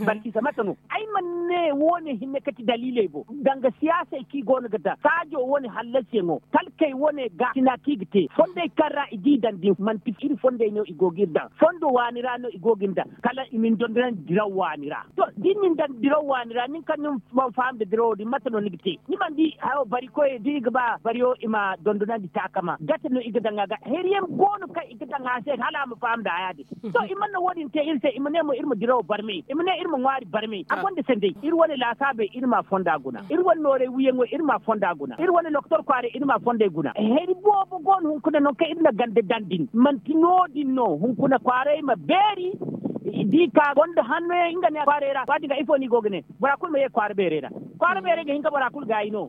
balkisa mate no ay mana ne wo- ne hinne kati daliiley boŋ danga siyaasey kaŋ i go no ga daŋ saajo wane hallasiyaŋo talkey wane ga sina kaŋ i ga te fondey kaŋ ra i g'i daŋ din manti iri fondey no i go ga iri daŋ fondo waani ra no i go ga iri daŋ kala i ma ni dondonandi diraw waani ra to da i na ni daŋ diraw waani ra nin kaŋ ni mana faham nda dirawo din mate no ni ga te ni mana di hayo bari koyey da i ga ba bariyo i ma dondonandi taakama gate no i ga daŋ a ga hari yaŋ go no kaŋ i ga daŋ a se hala a ma faham nda haya din to i mana wo- din te iri se i ma ne mo iri ma dirawo barmay i ma ne iri ma ŋwaari barmay a gonda sanday iri wane laasaabey iri ma fonda guna iri wane noorey wiyaŋo iri ma fonda guna iri wane lokotor kwaaray iri ma fondey guna hari boobo go no hunkuna nangu kaŋ iri na ganda daŋ din manti no- din no hunkuna kwaaray ma beeri da i ka gonda hanno yaŋ nga ne kwaaray ra waadin ga ifo no i go ga ne bora kulu ma ye kwaara beerey ra kwaara beeray ga hin ka bora kulu gaayi no.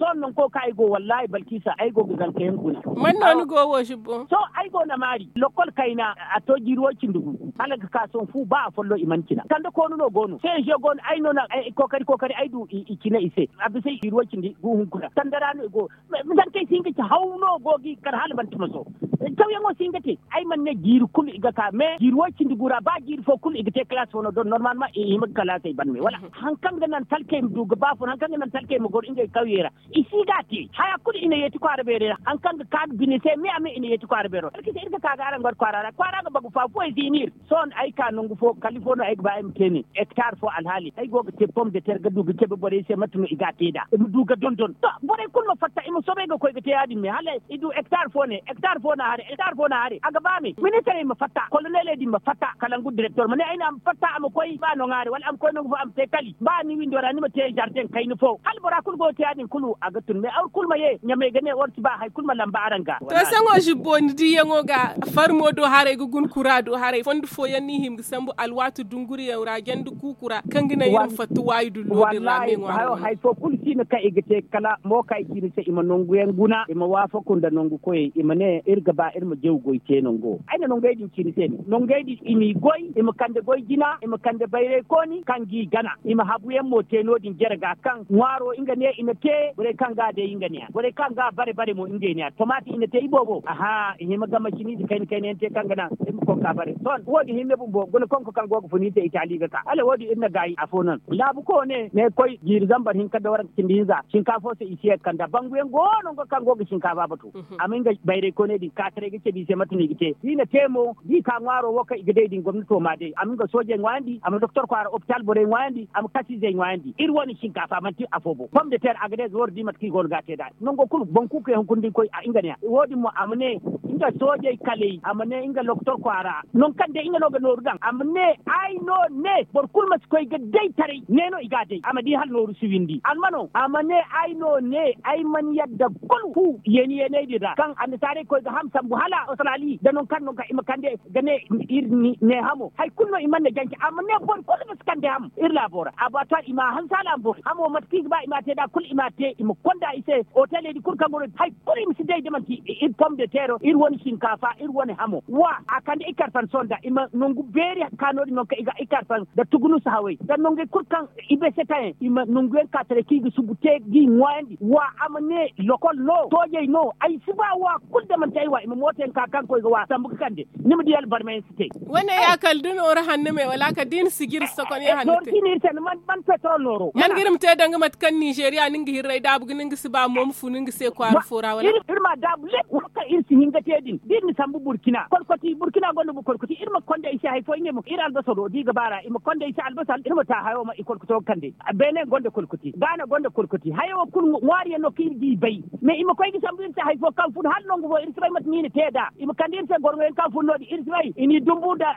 Sohõ nangu kaŋ ay go wallaahi balkisa ay go ga zanka yaŋ guna. Man no ni go wo zibbo? Sohõ ay go na maari lokol kayna, a to jiiri wo cindi gu hala ga ka sohõ fu ba afollo i mana cina kande koonu no go no se ze go no ay no na kookari kookari ay du i cina i se. A bisa jiiri wo cindi gu hunkuna kande ra no i go. Zankey si hin ga ci haw no go ga i kar hala manti maso. Cawyaŋo si hin ga te. Ay mana ne jiiri kulu i ga ka mais jiiri wo cindi gu ra ba jiiri fo kulu i ga te kalaasi fo no don normal ma i hima ga kalaasey ban me wala hari kaŋ ga naŋ talkey ma du ga ba fun hari kaŋ ga naŋ talkey ma goro ngey kawyey ra. I si ga a te haya kulu i na yeeti kwaara beeray ra hari kaŋ ga ka ga bine se me a me i na yeeti kwaara beero talkey se iri ga ka ga araŋ ga war kwaara ra kwaara ga bagu fa fuwey si hin iri. Sohõ ay ka nangu fo kala ifo no ay ga ba ay ma te ne hektar fo alhaali ay go ga te pom de ter ga du ga cabe borey se mate no i ga a te nd'a i ma du ga dondon to borey kulu ma fatta i ma soobay ga koy ga te ya- din me hala i du hektar fo ne hektar fo na hare hektar fo na hare a ga ba me ministarey ma fatta koloneley din ma fatta kalangu direktor ma ne ay ne a ma fatta a ma koy ba noŋ hare wala a ma koy nangu fo a ma te kali ba ni windo ra ni ma te zarden kayna fo hala bora kulu go ga te ya- din kulu a ga tun me war kulu ma ye ɲamey ga ne war si ba hari kulu ma lamba araŋ ga. To saŋo zibbo ni diiyaŋo ga farmo do haray ga guna kura do haray fondo fooyaŋ no i hima ga sambu alwaati dunguriyaŋ ra janda kuuku ra kaŋ ga naŋ iri ma fatta waayi dullo din ra me ŋwaaro. Hari fo kulu si no kaŋ i ga te kala mo kaŋ ay ci ni se i ma nangu yaŋ guna i ma waafaku nda nangu koyey i ma ne iri ga ba iri ma jaw goy te nango ay na nangey din ci ni se ne nangey din i m'i goy i ma kande goy jina i ma kande bayray kooni kaŋ g'i gana i ma habu yaŋ mo te no- din jare ga kaŋ ŋwaaro nga ne i na te borey kaŋ ga a day nga ne ya borey kaŋ ga a bare bare mo ngey ne ya tomaati i na te iboobo aha i hima ga maciniize kayna kayna yaŋ te kaŋ ga naŋ i ma konka bare sohõ wo- din hinne bumbo guna konko kaŋ go ga fun iri se itaali ga ka hala wo- din iri na gaayi afo naŋ laabu koone ne koy jiiri zambar hinka nda waranka cindi hinza shinkaafo se i si ye ga kand'a bangu yaŋ go no nga kaŋ go ga shinkaafo batu a ma nga bayray kooney din kaataray ga cabe i se mate no i ga te da i na te mo da i ka ŋwaaro wo kaŋ i ga day din gomnato m'a day a ma nga soojey ŋwaayandi a ma doktor kwaara opitaal borey ŋwaayandi a ma kasiizey ŋwaayandi iri wane shinkaafa manti afo boŋ pom de ter a ga day za war di mate kaŋ i go no ga a te nd'a nango kulu boŋ kuukey hunkuna da ni koy nga ne ya wo- din mo a ma ne nga soojey kaley a ma ne nga doktor kwaara nangu kaŋ day nga no ga nooru daŋ a ma ne ay no ne boro kulu ma si koy ga day taray ne no i ga a day a ma di hala nooru si windi almano a ma ne ay no ne ay mana yadda kulu fu yeeni yeeney din ra kaŋ annasaarey koy ga ham sambu hala australi da nangu kaŋ no ga i ma kande ga ne iri ne hamo hari kulu no i mana na jance a ma ne boro kulu ma si kande ham iri laabo ra abattoir i ma a hanse hala a ma boori hamo mate kaŋ i ga ba i ma a te nd'a kulu i ma a te i ma konda i se oteley din kulu kaŋ go no hari kulu i ma si day da manti iri pom de teero iri wane shinkaafa iri wane hamo wa a kande i karfan sohõ nda i ma nangu beeri ka no- din nangu kaŋ i ga i karfan nda tugunusu hawey nda nangey kulu kaŋ i bay se tayaŋ i ma nangu yaŋ ka taray kaŋ i ga subu te g'i ŋwaayandi wa a ma ne lokol no soojey no ay si ba wa kulu da manti ay wa i ma mooto yaŋ ka kaŋ koy ga wa sambu ga kande ni ma di albarma yaŋ si te. Wane ya kala da nooro hanno me wala kala da i na sijiri sokon ya hanno te. Nooro si no iri se ni man petrol nooro man ga iri ma te danga mate kaŋ nizeeriya ni nga hirray daabu ga ni nga si ba mo ma funu nga se kwaara fo ra wala iri ma daabu leb wo kaŋ iri si hin ga te din da iri na sambu burkina kolkoti burkina gonda bu kolkoti iri ma konda i se hari fo ngey mo iri albasaro da i ga baara i ma konda i se albasar iri ma ta hayo ma i kolkoto ga kande beene gonda kolkoti gaana gonda kolkoti hayo wo kulu ŋwaari yaŋ no kaŋ iri ga i bay mais i ma koy ga sambu iri se hari fo kaŋ fun hala nangu fo iri si bay mate no i na te nd'a i ma kande iri se gorŋo yaŋ kaŋ fun no- din iri si bay i n'i dumbu nda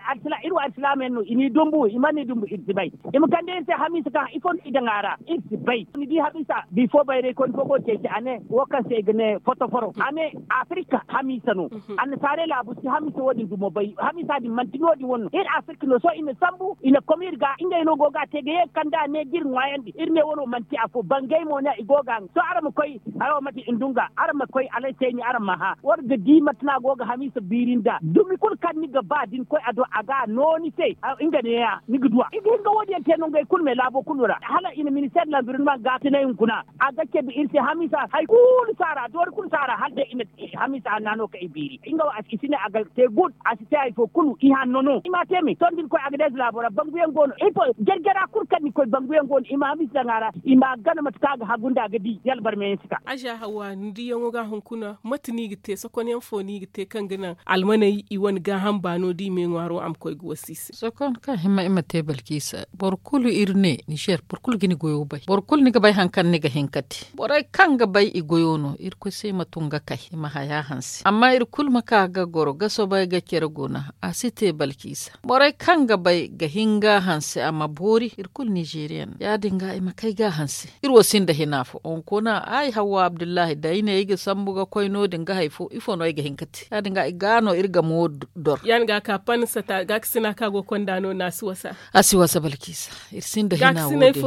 iri wo alsilaama yaŋ no i n'i dumbu i mana ni dumbu iri si bay i ma kande iri se hamiisa kaŋ ifo no i daŋ a ra iri si bay ni di hamiisa bifo bayray koy ni fo go ga ceeci a ne wo kaŋ se i ga ne fotoforo a ne afirika hamiisa no annasaarey laabu si hamiisa wo- din dumo bay hamiisa din manti no- din wane no iri afirika no sohõ i na sambu i na kom iri ga ngey no go ga a te ga ye ga kande a ne ga iri ŋwaayandi iri ne wano manti afo bangey mo ne i go ga a sohõ araŋ ma koy hayo mate i na dun ga araŋ ma koy alay seeni araŋ ma hã war ga di mate no a go ga hamiisa biiri nda dumi kulu kaŋ ni ga ba da ni koy a do a ga a no ni se nga neeya ni ga du a i ga hin ga wo- din yaŋ te nangey kulu me laabo kulu ra hala i na ministeer lanbirinman ga tinay hunkuna a ga cabe iri se hamiisa hari kulu saara doori kulu saara hala day i na hamiisa hanna no kaŋ i biiri nga wo i si ne a ga te guud a si te hari fo kulu i hanno no i m'a te me sohõ da ni koy a ga day za laabo ra bangu yaŋ go no iri fo jare jara kulu kaŋ ni koy bangu yaŋ go no i ma hamiisa daŋ a ra i m'a gana mate kaŋ a ga hagu nda a ga di yala barma yaŋ si ka. Aza hawa ni diyaŋo ga hunkuna mate no i ga te sokon yaŋ fo no i ga te kaŋ ga naŋ almaney i wane gaaham baano da i me ŋwaaro a ma koy ga wasa i se. Sokon kaŋ hima i ma te balkisa boro kulu iri ne nizer boro kulu ga ni goyo bay boro kulu ni ga bay hari kaŋ ni ga hin ka te borey kaŋ ga bay i goyo no irkoy se i ma tun ga kay i ma haya hanse amma iri Kulu ma ka ga goro ga soobay ga care guna. A si te balkiisa borey kaŋ ga bay ga hin ga hanse a ma boori iri kulu nizeeriya no ya- din ga i ma kay ga hanse. Iri wo sinda hina fo hunkuna ay hawwa abdullahi da ay ne ay ga sambu ga koy no- din ga hari fo ifo no ay ga hin ga te ya- din ga i ga no iri ga mo dor. Ya- din ga ka panni sata gaakasina kaŋ a go ga konda no no a si wasa. A si wasa balkiisa. Iri sinda hina wo- din.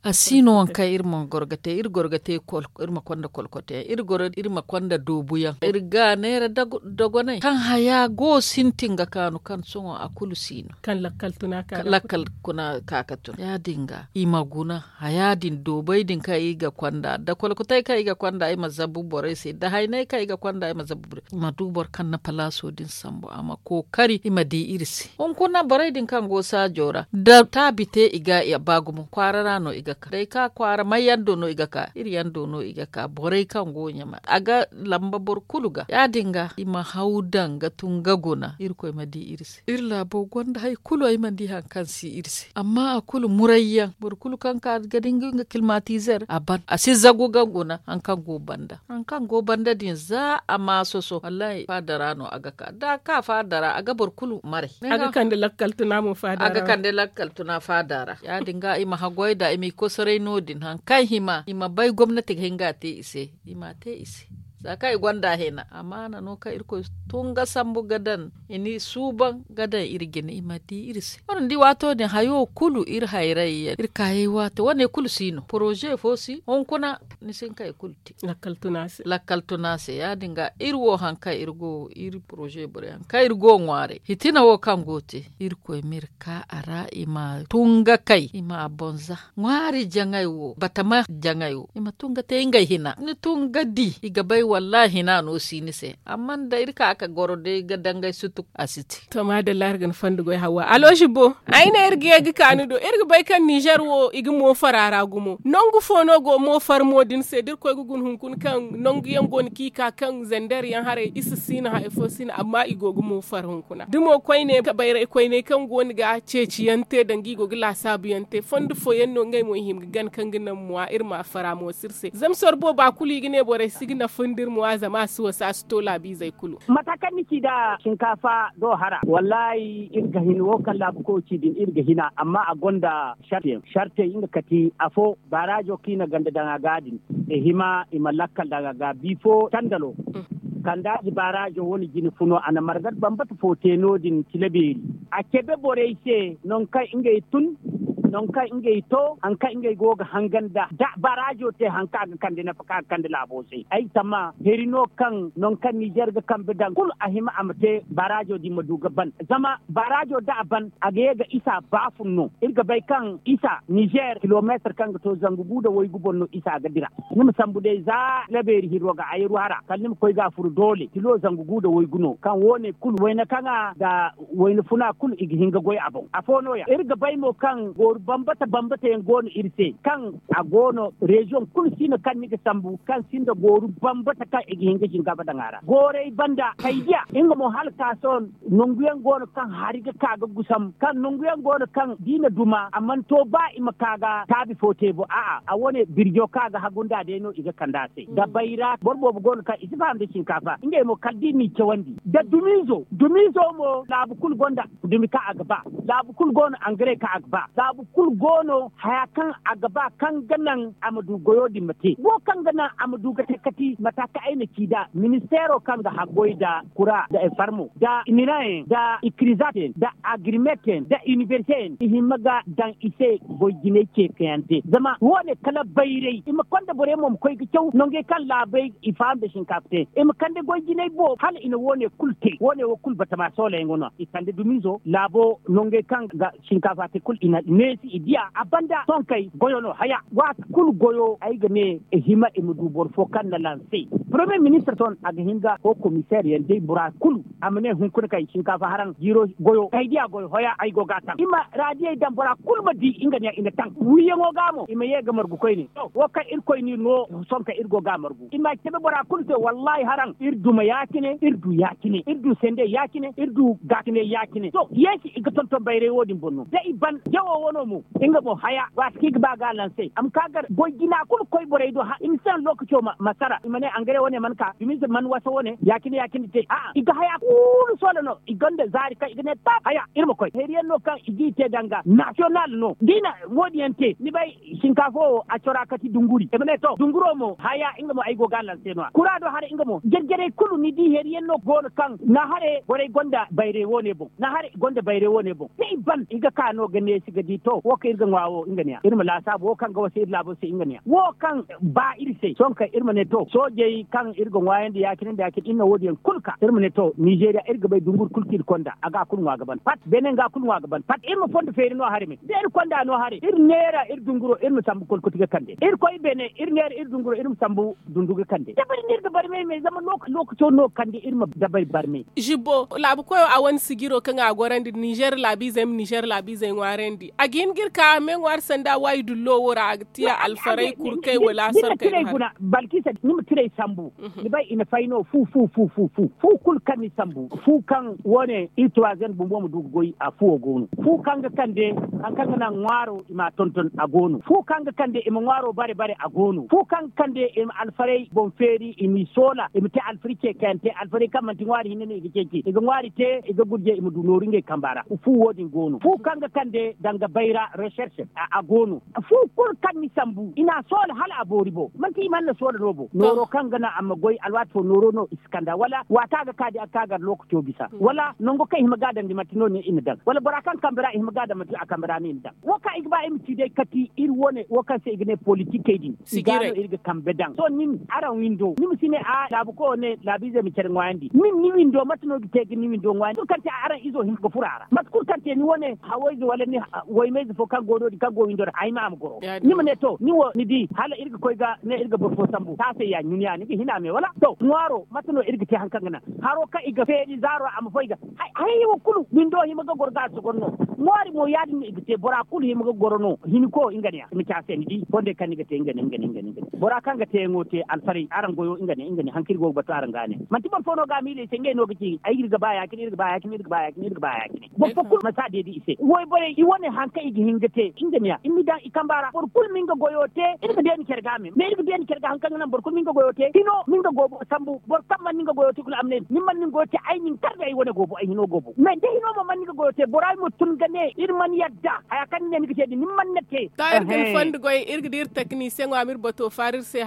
A si no waŋ kaŋ iri ma goro ga te iri goro ga te iri ma konda kolkote yaŋ iri ma konda doobu yaŋ iri ga neera dogonay kaŋ haya go sintin ga kaanu kaŋ sohõ a kulu si no. Kaŋ lakkal tuna ka ga tun ya- din ga i ma guna haya din doobay din kaŋ i ga konda da kolkotay kaŋ i ga konda i ma zabu borey se da haynay kaŋ i ga konda i ma zabu borey se i ma du boro kaŋ na palaaso din sambu a ma kookari i ma di iri se. Hunkuna borey din kaŋ go saajo ra da taabi te i ga ba gumo kwaara ra no i ga ka day ka kwaara may yaŋ do no i ga ka iri yaŋ do no i ga ka borey kaŋ go ɲama a ga lamba boro kulu ga ya- din ga i ma haw daŋ ga tun ga guna irkoy ma di iri se iri laabo gonda hari kulu ay mana di hari kaŋ si iri se amma a kulu muray yaŋ boro kulu kaŋ ka ga di nga kilmatizer a ban a si zagu ga guna hari kaŋ go banda din za a ma soso wallahi faada ra no a ga ka da a ka faada ra a ga boro kulu maray. A ga kande lakkal tuna mo faada ra a ga kande lakkal tuna faada ra ya- din ga i ma haggoy nd'a i m'i kosoray no- din hari kaŋ hima i ma bay gomnati ga hin ga a te i se. I m'a te i se za kaŋ i gonda hina amaana no kaŋ irkoy tun ga sambu ga daŋ i n'i suuban ga daŋ iri jine i ma di iri se wane ni di waato din hayo kulu iri hayray yaŋ iri kaayey waato wane kulu si no poroze fo si hunkuna ni si hin kaŋ i kulu te. Lakkal tuna se ya- din ga iri wo hari kaŋ iri go iri poroze borey hari kaŋ iri go ŋwaaray hitina wo kaŋ go te irkoy m'iri ka a ra i ma tun ga kay i ma a boŋ za ŋwaari jaŋay wo batama jaŋay wo i ma tun ga te ngey hina ni tun ga di i ga bay wallaahi hina no si ni se amma nda iri ka ga goro day ga dangay sutuk a si te. To maadalla iri ga ni fondo goy hawa aloosi bo ay ne iri ga ye ga ka ni do iri ga bay kaŋ nizer wo i ga moofara ra gumo nangu fo no go moofara mo din se da iri koy ga guna hunkuna kaŋ nangu yaŋ go no kaŋ i ka kaŋ zander yaŋ haray i si siina hari fo siina amma i go ga moofara hunkuna da mo koyne bayray koyney kaŋ go no ga ceeci yaŋ te danga i go ga laasaabu yaŋ te fondo fooyaŋ no ngey mo i hima ga gana kaŋ ga naŋ muwa iri ma a fara mo si iri se zama soro booba kulu i ga ne borey si ga nafa nda iri muwa zama a si wasa a si to laabiizey kulu. Mata kaŋ ni ci nda sinkaafa do hara wallaahi iri ga hin wo kaŋ laabu koy ci din iri ga hina amma a gonda sarte yaŋ sarte nga kati afo baaraazo kaŋ i na ganda daŋ a ga din i hima i ma lakkal daŋ a ga bifo tandalo kandaaji baaraazo wane jine funo a na marga bambata fo te no- din tilabeeri a cabe borey se nangu kaŋ ngey tun nangu kaŋ ngey to hari kaŋ ngey go ga hangan da da baaraazo te hari kaŋ a ga kande nafa kaŋ a ga kande laabo se ay ga tamma heri no kaŋ nangu kaŋ nizer ga kambe daŋ kulu a hima a ma te baaraazo din ma du ga ban zama baaraazo da a ban a ga ye ga isa baafun no iri ga bay kaŋ isa nizer kilomeetar kaŋ ga to zangu gu nda waygu boŋ no isa ga dira ni ma sambu day za labeeri hirro ga a yaru hara kala ni ma koy ga a furu doole kilo zangu gu nda waygu no kaŋ wo- ne kulu wayna kaŋa nda wayna funa kulu i ga hin ga goy a boŋ afo no- ya iri ga bay mo kaŋ gooru bambata bambata yaŋ go no iri se kaŋ a go no reziyoŋ kulu si no kaŋ ni ga sambu kaŋ sinda gooru bambata kaŋ i ga hin ga sinkaafa daŋ a ra gooray banda kay diya nga mo hala ka sohõ nangu yaŋ go no kaŋ hari ga ka ga gusam kaŋ nangu yaŋ go no kaŋ da i na duma a mana to ba i ma ka ga taabi fo te bo a'a a wane birjo kaŋ a ga hagu nda day no i ga kand'a se da bayra boro boobo go no kaŋ i si faham nda sinkaafa ngey mo kala da i n'i cawandi da dumiizo dumiizo mo laabu kulu gonda dumi kaŋ a ga ba laabu kulu go no angare kaŋ a ga ba laabu kulu go no haya kaŋ a ga ba kaŋ ga naŋ a ma du goyo din ma te wo kaŋ ga naŋ a ma du ga te kati mata kaŋ ay na ci nd'a ministeero kaŋ ga haggoy nda kura nda farmo nda minayaŋ nda ikirizateyaŋ nda agirimeteyaŋ nda inibersiteyaŋ i hima ga daŋ i se goy jinay ceekayaŋ te zama wo- ne kala bayray i ma konda borey mo ma koy ga caw nangey kaŋ laabey i faham nda sinkaafa te i ma kande goy jinay boobo hala i na wo- ne kulu te wo- ne wo kulu batama soolayaŋo no i kande dumiizo laabo nangey kaŋ ga sinkaafa te kulu i na neesi i diya a banda sohõ kay goyo no haya waati kulu goyo ay ga ne i hima i ma du boro fo kaŋ na lansey. Poromiye ministir sohõ a ga hin ga ho komiseer yaŋ day bora kulu a ma ne hunkuna kay sinkaafa haraŋ jiiro goyo kay diya goyo hoya ay go ga a taŋ i ma raadiyey daŋ bora kulu ma di nga ne i na taŋ wiiyaŋo ga mo i ma ye ga margu koyne to wo kaŋ irkoy no iri no sohõ kay iri go ga a margu i ma cabe bora kulu se wallaahi haraŋ iri duma ya- cine iri du ya- cine iri du sende ya- cine iri du gaakine ya- cine to yeesi i ga tonton bayray wo- din boŋ no da i ban jawo wo no. Nga mo haya waati kaŋ i ga ba ga a lanse a ma ka gar goy jina kulu koy borey do i ma si naŋ lookaco ma sara i ma ne angare wane mana ka dumize mana wasa wane ya- cine ya- cine te a'a i ga haya kulu soola no i gonda zaari kaŋ i ga ne taab haya iri ma koy heeriyaŋ no kaŋ i g'i te danga nasiyonal no da i na wo- din yaŋ te ni bay. Sinkaafa wo a cora kati dunguri i ma ne to dunguro mo haya nga mo ay go ga a lanse no- ya kura do haray nga mo jarjarey kulu ni di heeriyaŋ no go no kaŋ naahare borey gonda bayray wo- ne boŋ naahare i gonda bayray wo- ne boŋ da i ban i ga ka no ga neesi ga di to wo kaŋ iri ga ŋwa wo nga ne- ya iri ma laasaabu wo kaŋ ga wasa iri laabo se nga ne- ya wo kaŋ ba iri se sohõ kaŋ iri ma ne to soojey kaŋ iri ga ŋwaayandi ya- cine nda ya- cine iri na wo- din yaŋ kulu ka iri ma ne to nizeeriya iri ga bay dunguri kulu kaŋ iri konda a ga a kulu ŋwa ga ban pat beene nga a kulu ŋwa ga ban pat iri ma fondo feeri no haray me da iri konda no haray iri neera iri dunguro iri ma sambu kolkoti ga kande iri koy beene iri neera iri dunguro iri ma sambu dundu ga kande dabari no iri ga barmay me zama lookaco no kande iri ma dabari barmay. Zibbo laabu koyo a wane sijiro kaŋ a gorandi ninzeer laabiizey ma ninzeer laabiizey ŋwaarandi a ga hin ga iri ka meeŋwaari sanda waayi dullo wo ra a ga tiya alfaray kurkey wala a sorkey no haray. Balkisa ni ma tiray sambu ni bay i na fay no fu fu fu fu fu fu kulu kaŋ ni sambu fu kaŋ wo- ne iri tuwaazen bumbo ma du ga goy a fuwo go no fu kaŋ ga kande hari kaŋ ga naŋ ŋwaaro i ma a tonton a go no fu kaŋ ga kande i ma ŋwaaro bare bare a go no fu kaŋ ga kande i ma alfaray boŋ feeri i m'i soola i ma te alfari ceekayante alfaray kaŋ manti ŋwaari hinne no i ga ceeci i ga ŋwaari te i ga gurje i ma du nooru ngey kamba ra fu wo- din go no fu kaŋ ga kande danga bayra recherche a go no fu kulu kaŋ ni sambu i n'a soola hala a boori bo manti i mana soola no bo nooro kaŋ ga naŋ a ma goy alwaati fo nooro no i si kanda wala waata ga ka di a ga ka gar lookaco bisa wala nango kaŋ i hima ga daŋ di manti no- din i na daŋ wala bora kaŋ kambe ra i hima ga daŋ manti a kambe ra no i na daŋ wo kaŋ i ga ba i ma ci day kati iri wane wo kaŋ se i ga ne politikey din i ga no iri ga kambe daŋ sohõ nin araŋ windo ni ma si ne a laabu koyo ne laabiizey ma care ŋwaayandi nin ni windo mate no ga te ga ni windo ŋwaayandi kulu kaŋ te araŋ izo hin ga furo a ra mate kulu kaŋ te ni wane hawayze wala ni waymayze fo kaŋ go no- din kaŋ go windo ra ay ma a ma goro ni ma ne to ni wo ni di hala iri ga koy ga ne iri ga boro fo sambu taasay ya ɲuniya ni ga hina me wala to ŋwaaro mate no iri ga te hari kaŋ ga naŋ haro kaŋ i ga feeri zaaro a ma foy ga hayey wo kulu windo hima ga goro ga a si goro no ŋwaari mo ya- din no i ga te bora kulu hima ga goro no hinko nga ne ya i ma ci a se ni di fondey kaŋ ni ga te nga ne nga ne nga ne nga ne bora kaŋ ga teeyaŋo te alfaray araŋ goyo nga ne nga ne hari kaŋ iri go ga batu araŋ ga ne manti boro fo no ga a miila i se ngey no ga ci ay iri ga ba ya- cine iri ga ba ya- cine iri ga ba ya- cine iri ga ba ya- cine boro fo kulu ma si a deedi i se wayborey i wane hari kaŋ i ga hin ga te nga ne ya i ma i daŋ i kamba ra boro kulu ma nga goyo te iri ga deeni care ga me me iri ga deeni care ga hari kaŋ ga naŋ boro kulu ma nga goyo te hino ma nga goobo sambu boro kaŋ mana nga goyo te kulu a ma ne ni mana ni goyo te ay na ni kar ga ay wane goobo ay hino goobo me da hino mo mana ni nga goyo te bora ay ma tun ga ne iri mana yadda haya kaŋ ni ne ni ga te din ni mana na te. To iri ga ni fondo goy iri ga di iri taknisiyeŋo a ma iri bato faara iri se.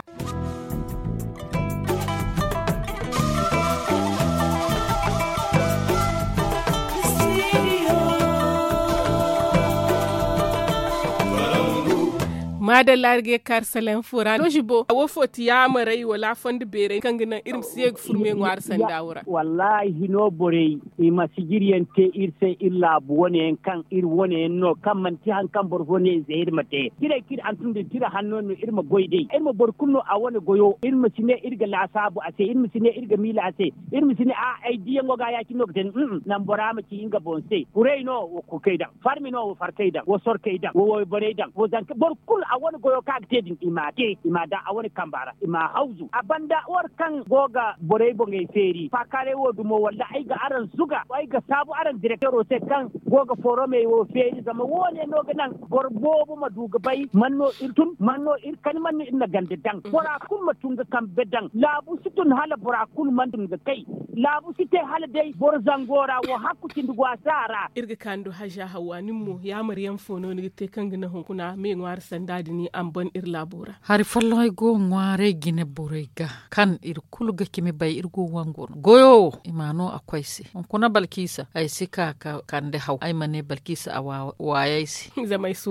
Maadalla iri ga ye ga kaari sala info ra no zibo wo fo ti yaamarey wala a fondo beerey kaŋ ga naŋ iri ma si ye ga furme ŋwaari sanda wo ra. Wallaahi hino borey i ma sijiriyaŋ te iri se iri laabu wane yaŋ kaŋ iri wane yaŋ no kaŋ manti hari kaŋ boro fo ne i se iri ma te tirey kaŋ iri hantum din tira hanno no iri ma goy day iri ma boro kulu no a wane goyo iri ma si ne iri ga laasaabu a se iri ma si ne iri ga miila a se iri ma si ne a ay diyaŋo ga ya- cine no ga te ni naŋ bora ma ci nga boŋ se kuray no wo kurkey daŋ farmi no wo farkey daŋ wo sorkey daŋ wo wayborey daŋ wo zanka boro kulu a wane goyo kaŋ a ga te din i m'a te i m'a daŋ a wane kamba ra i m'a hawzu a banda war kaŋ go ga borey boŋey feeri faakaaray wo dumo walla ay ga araŋ zuga ay ga saabu araŋ direktero se kaŋ go ga fooromey wo feeri zama wo- ne no ga naŋ boro boobo ma du ga bay man no iri tun man no iri kani man no iri na ganda daŋ bora kulu ma tun ga kambe daŋ laabu si tun hala bora kulu mana tun ga kay laabu si te hala day boro zango ra wo hakku cindi go a si a ra. Iri ga kaanu do haza hawwa nin mo yaamar yaŋ fo no ni ga te kaŋ ga naŋ hunkuna me ŋwaari sanda din a ma ban iri laabo ra. Hari folloŋey go ga ŋwaaray jine borey ga kaŋ iri kulu ga cimi bay iri go ga wangu no goyo wo i ma no a koy se hunkuna balkisa ay si ka ga kande haw ay ma ne balkisa a waayey se. Zama ay si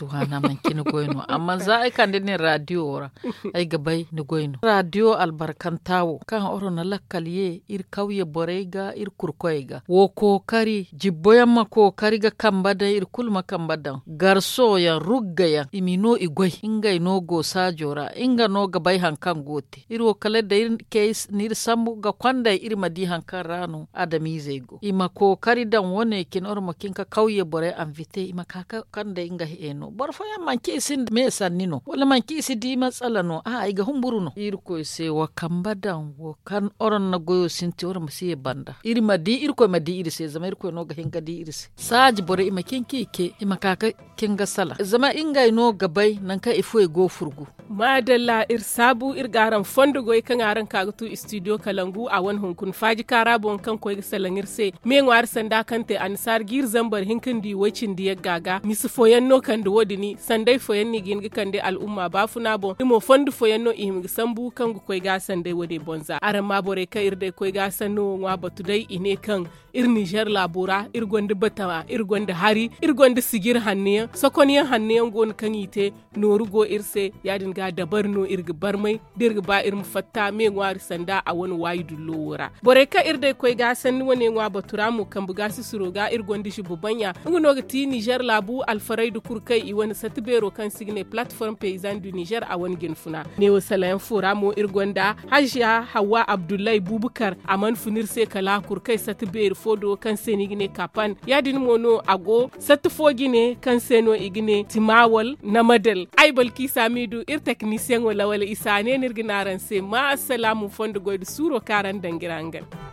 waana manci ni goy no amma za ay kande nin radiyo wo ra ay ga bay ni goy no radiyo albarkanta wo kaŋ oro na lakkal ye iri kawye borey ga iri kurkoyey ga wo kookari jibbo yaŋ ma kookari ga kambe daŋ iri kulu ma kambe daŋ garso yaŋ rugga yaŋ i ma i no. no i goy ngey no go saajo ra nga no ga bay hari kaŋ go te iri wo kala day. N'iri sambu ga konday iri ma di hari kaŋ ra no adamiizey go i ma kookari daŋ wane cine iri ma cin ka kawye borey anvite i ma ka ga konday nga heeno boro fooyaŋ manci i si nda me sanni no wala manci i si di matsala no a'a i ga humburu no irkoy se wa kambe daŋ wo kaŋ iri na goyo sintin iri ma si ye banda iri ma di irkoy ma di iri se zama irkoy no ga hin ga di iri se saaji borey i ma cin ka i ce i ma ka ga cin ga salaŋ zama ngey no ga bay nangu kaŋ i fuwey go furgu. Maadalla iri saabu iri ga araŋ fondo goy kaŋ araŋ ka ga tu istidiyo kalangu a wane hunkuna faaji kaara boŋ kaŋ koy ga salaŋ iri se me ŋwaari sanda kaŋ te annasaara jiiri zambar hinka nda i way cindi yagga ga misa fooyaŋ no kande wo- din sanday fooyaŋ no i ga hin ga kande al'umma baafuna boŋ iri mo fondo fooyaŋ no i hima ga sambu kaŋ ga koy ga sanday wane boŋ za araŋ ma borey kaŋ iri day koy ga sanno wo ŋwa batu day i ne kaŋ iri ninzeer laabo ra iri gonda batama iri gonda hari iri gonda sijir hanno yaŋ sokonyaŋ hanno yaŋ go no kaŋ i te nooru go iri se ya- din ga dabari no iri ga barmay da iri ga ba iri ma fatta me ŋwaari sanda a wane waayi dullo wo ra borey kaŋ iri day koy ga sanni wane ŋwa batu ra mo kambe ga sisiro ga iri gonda zibu baŋya nga no ga ti ninzeer laabu alfarayda kulu kaŋ i wane satti beero kaŋ se i ga ne palatiform peyizan du ninzeer a wane jinfuna neewo salayaŋ fo ra mo iri gonda haziya hawwa abdullahi bubukar a mana fun iri se kala a kulu kaŋ i satti beeri fo do kaŋ se no i ga ne kapan ya- din mo no a go satti fo jine kaŋ se no i ga ne timawal namadal ay balkiisa miidu iri teknisiyaŋo lawal isa ne no iri ga ne araŋ se ma assalaamu fondo goy nda suuro kaŋ araŋ daŋ ga iri hangan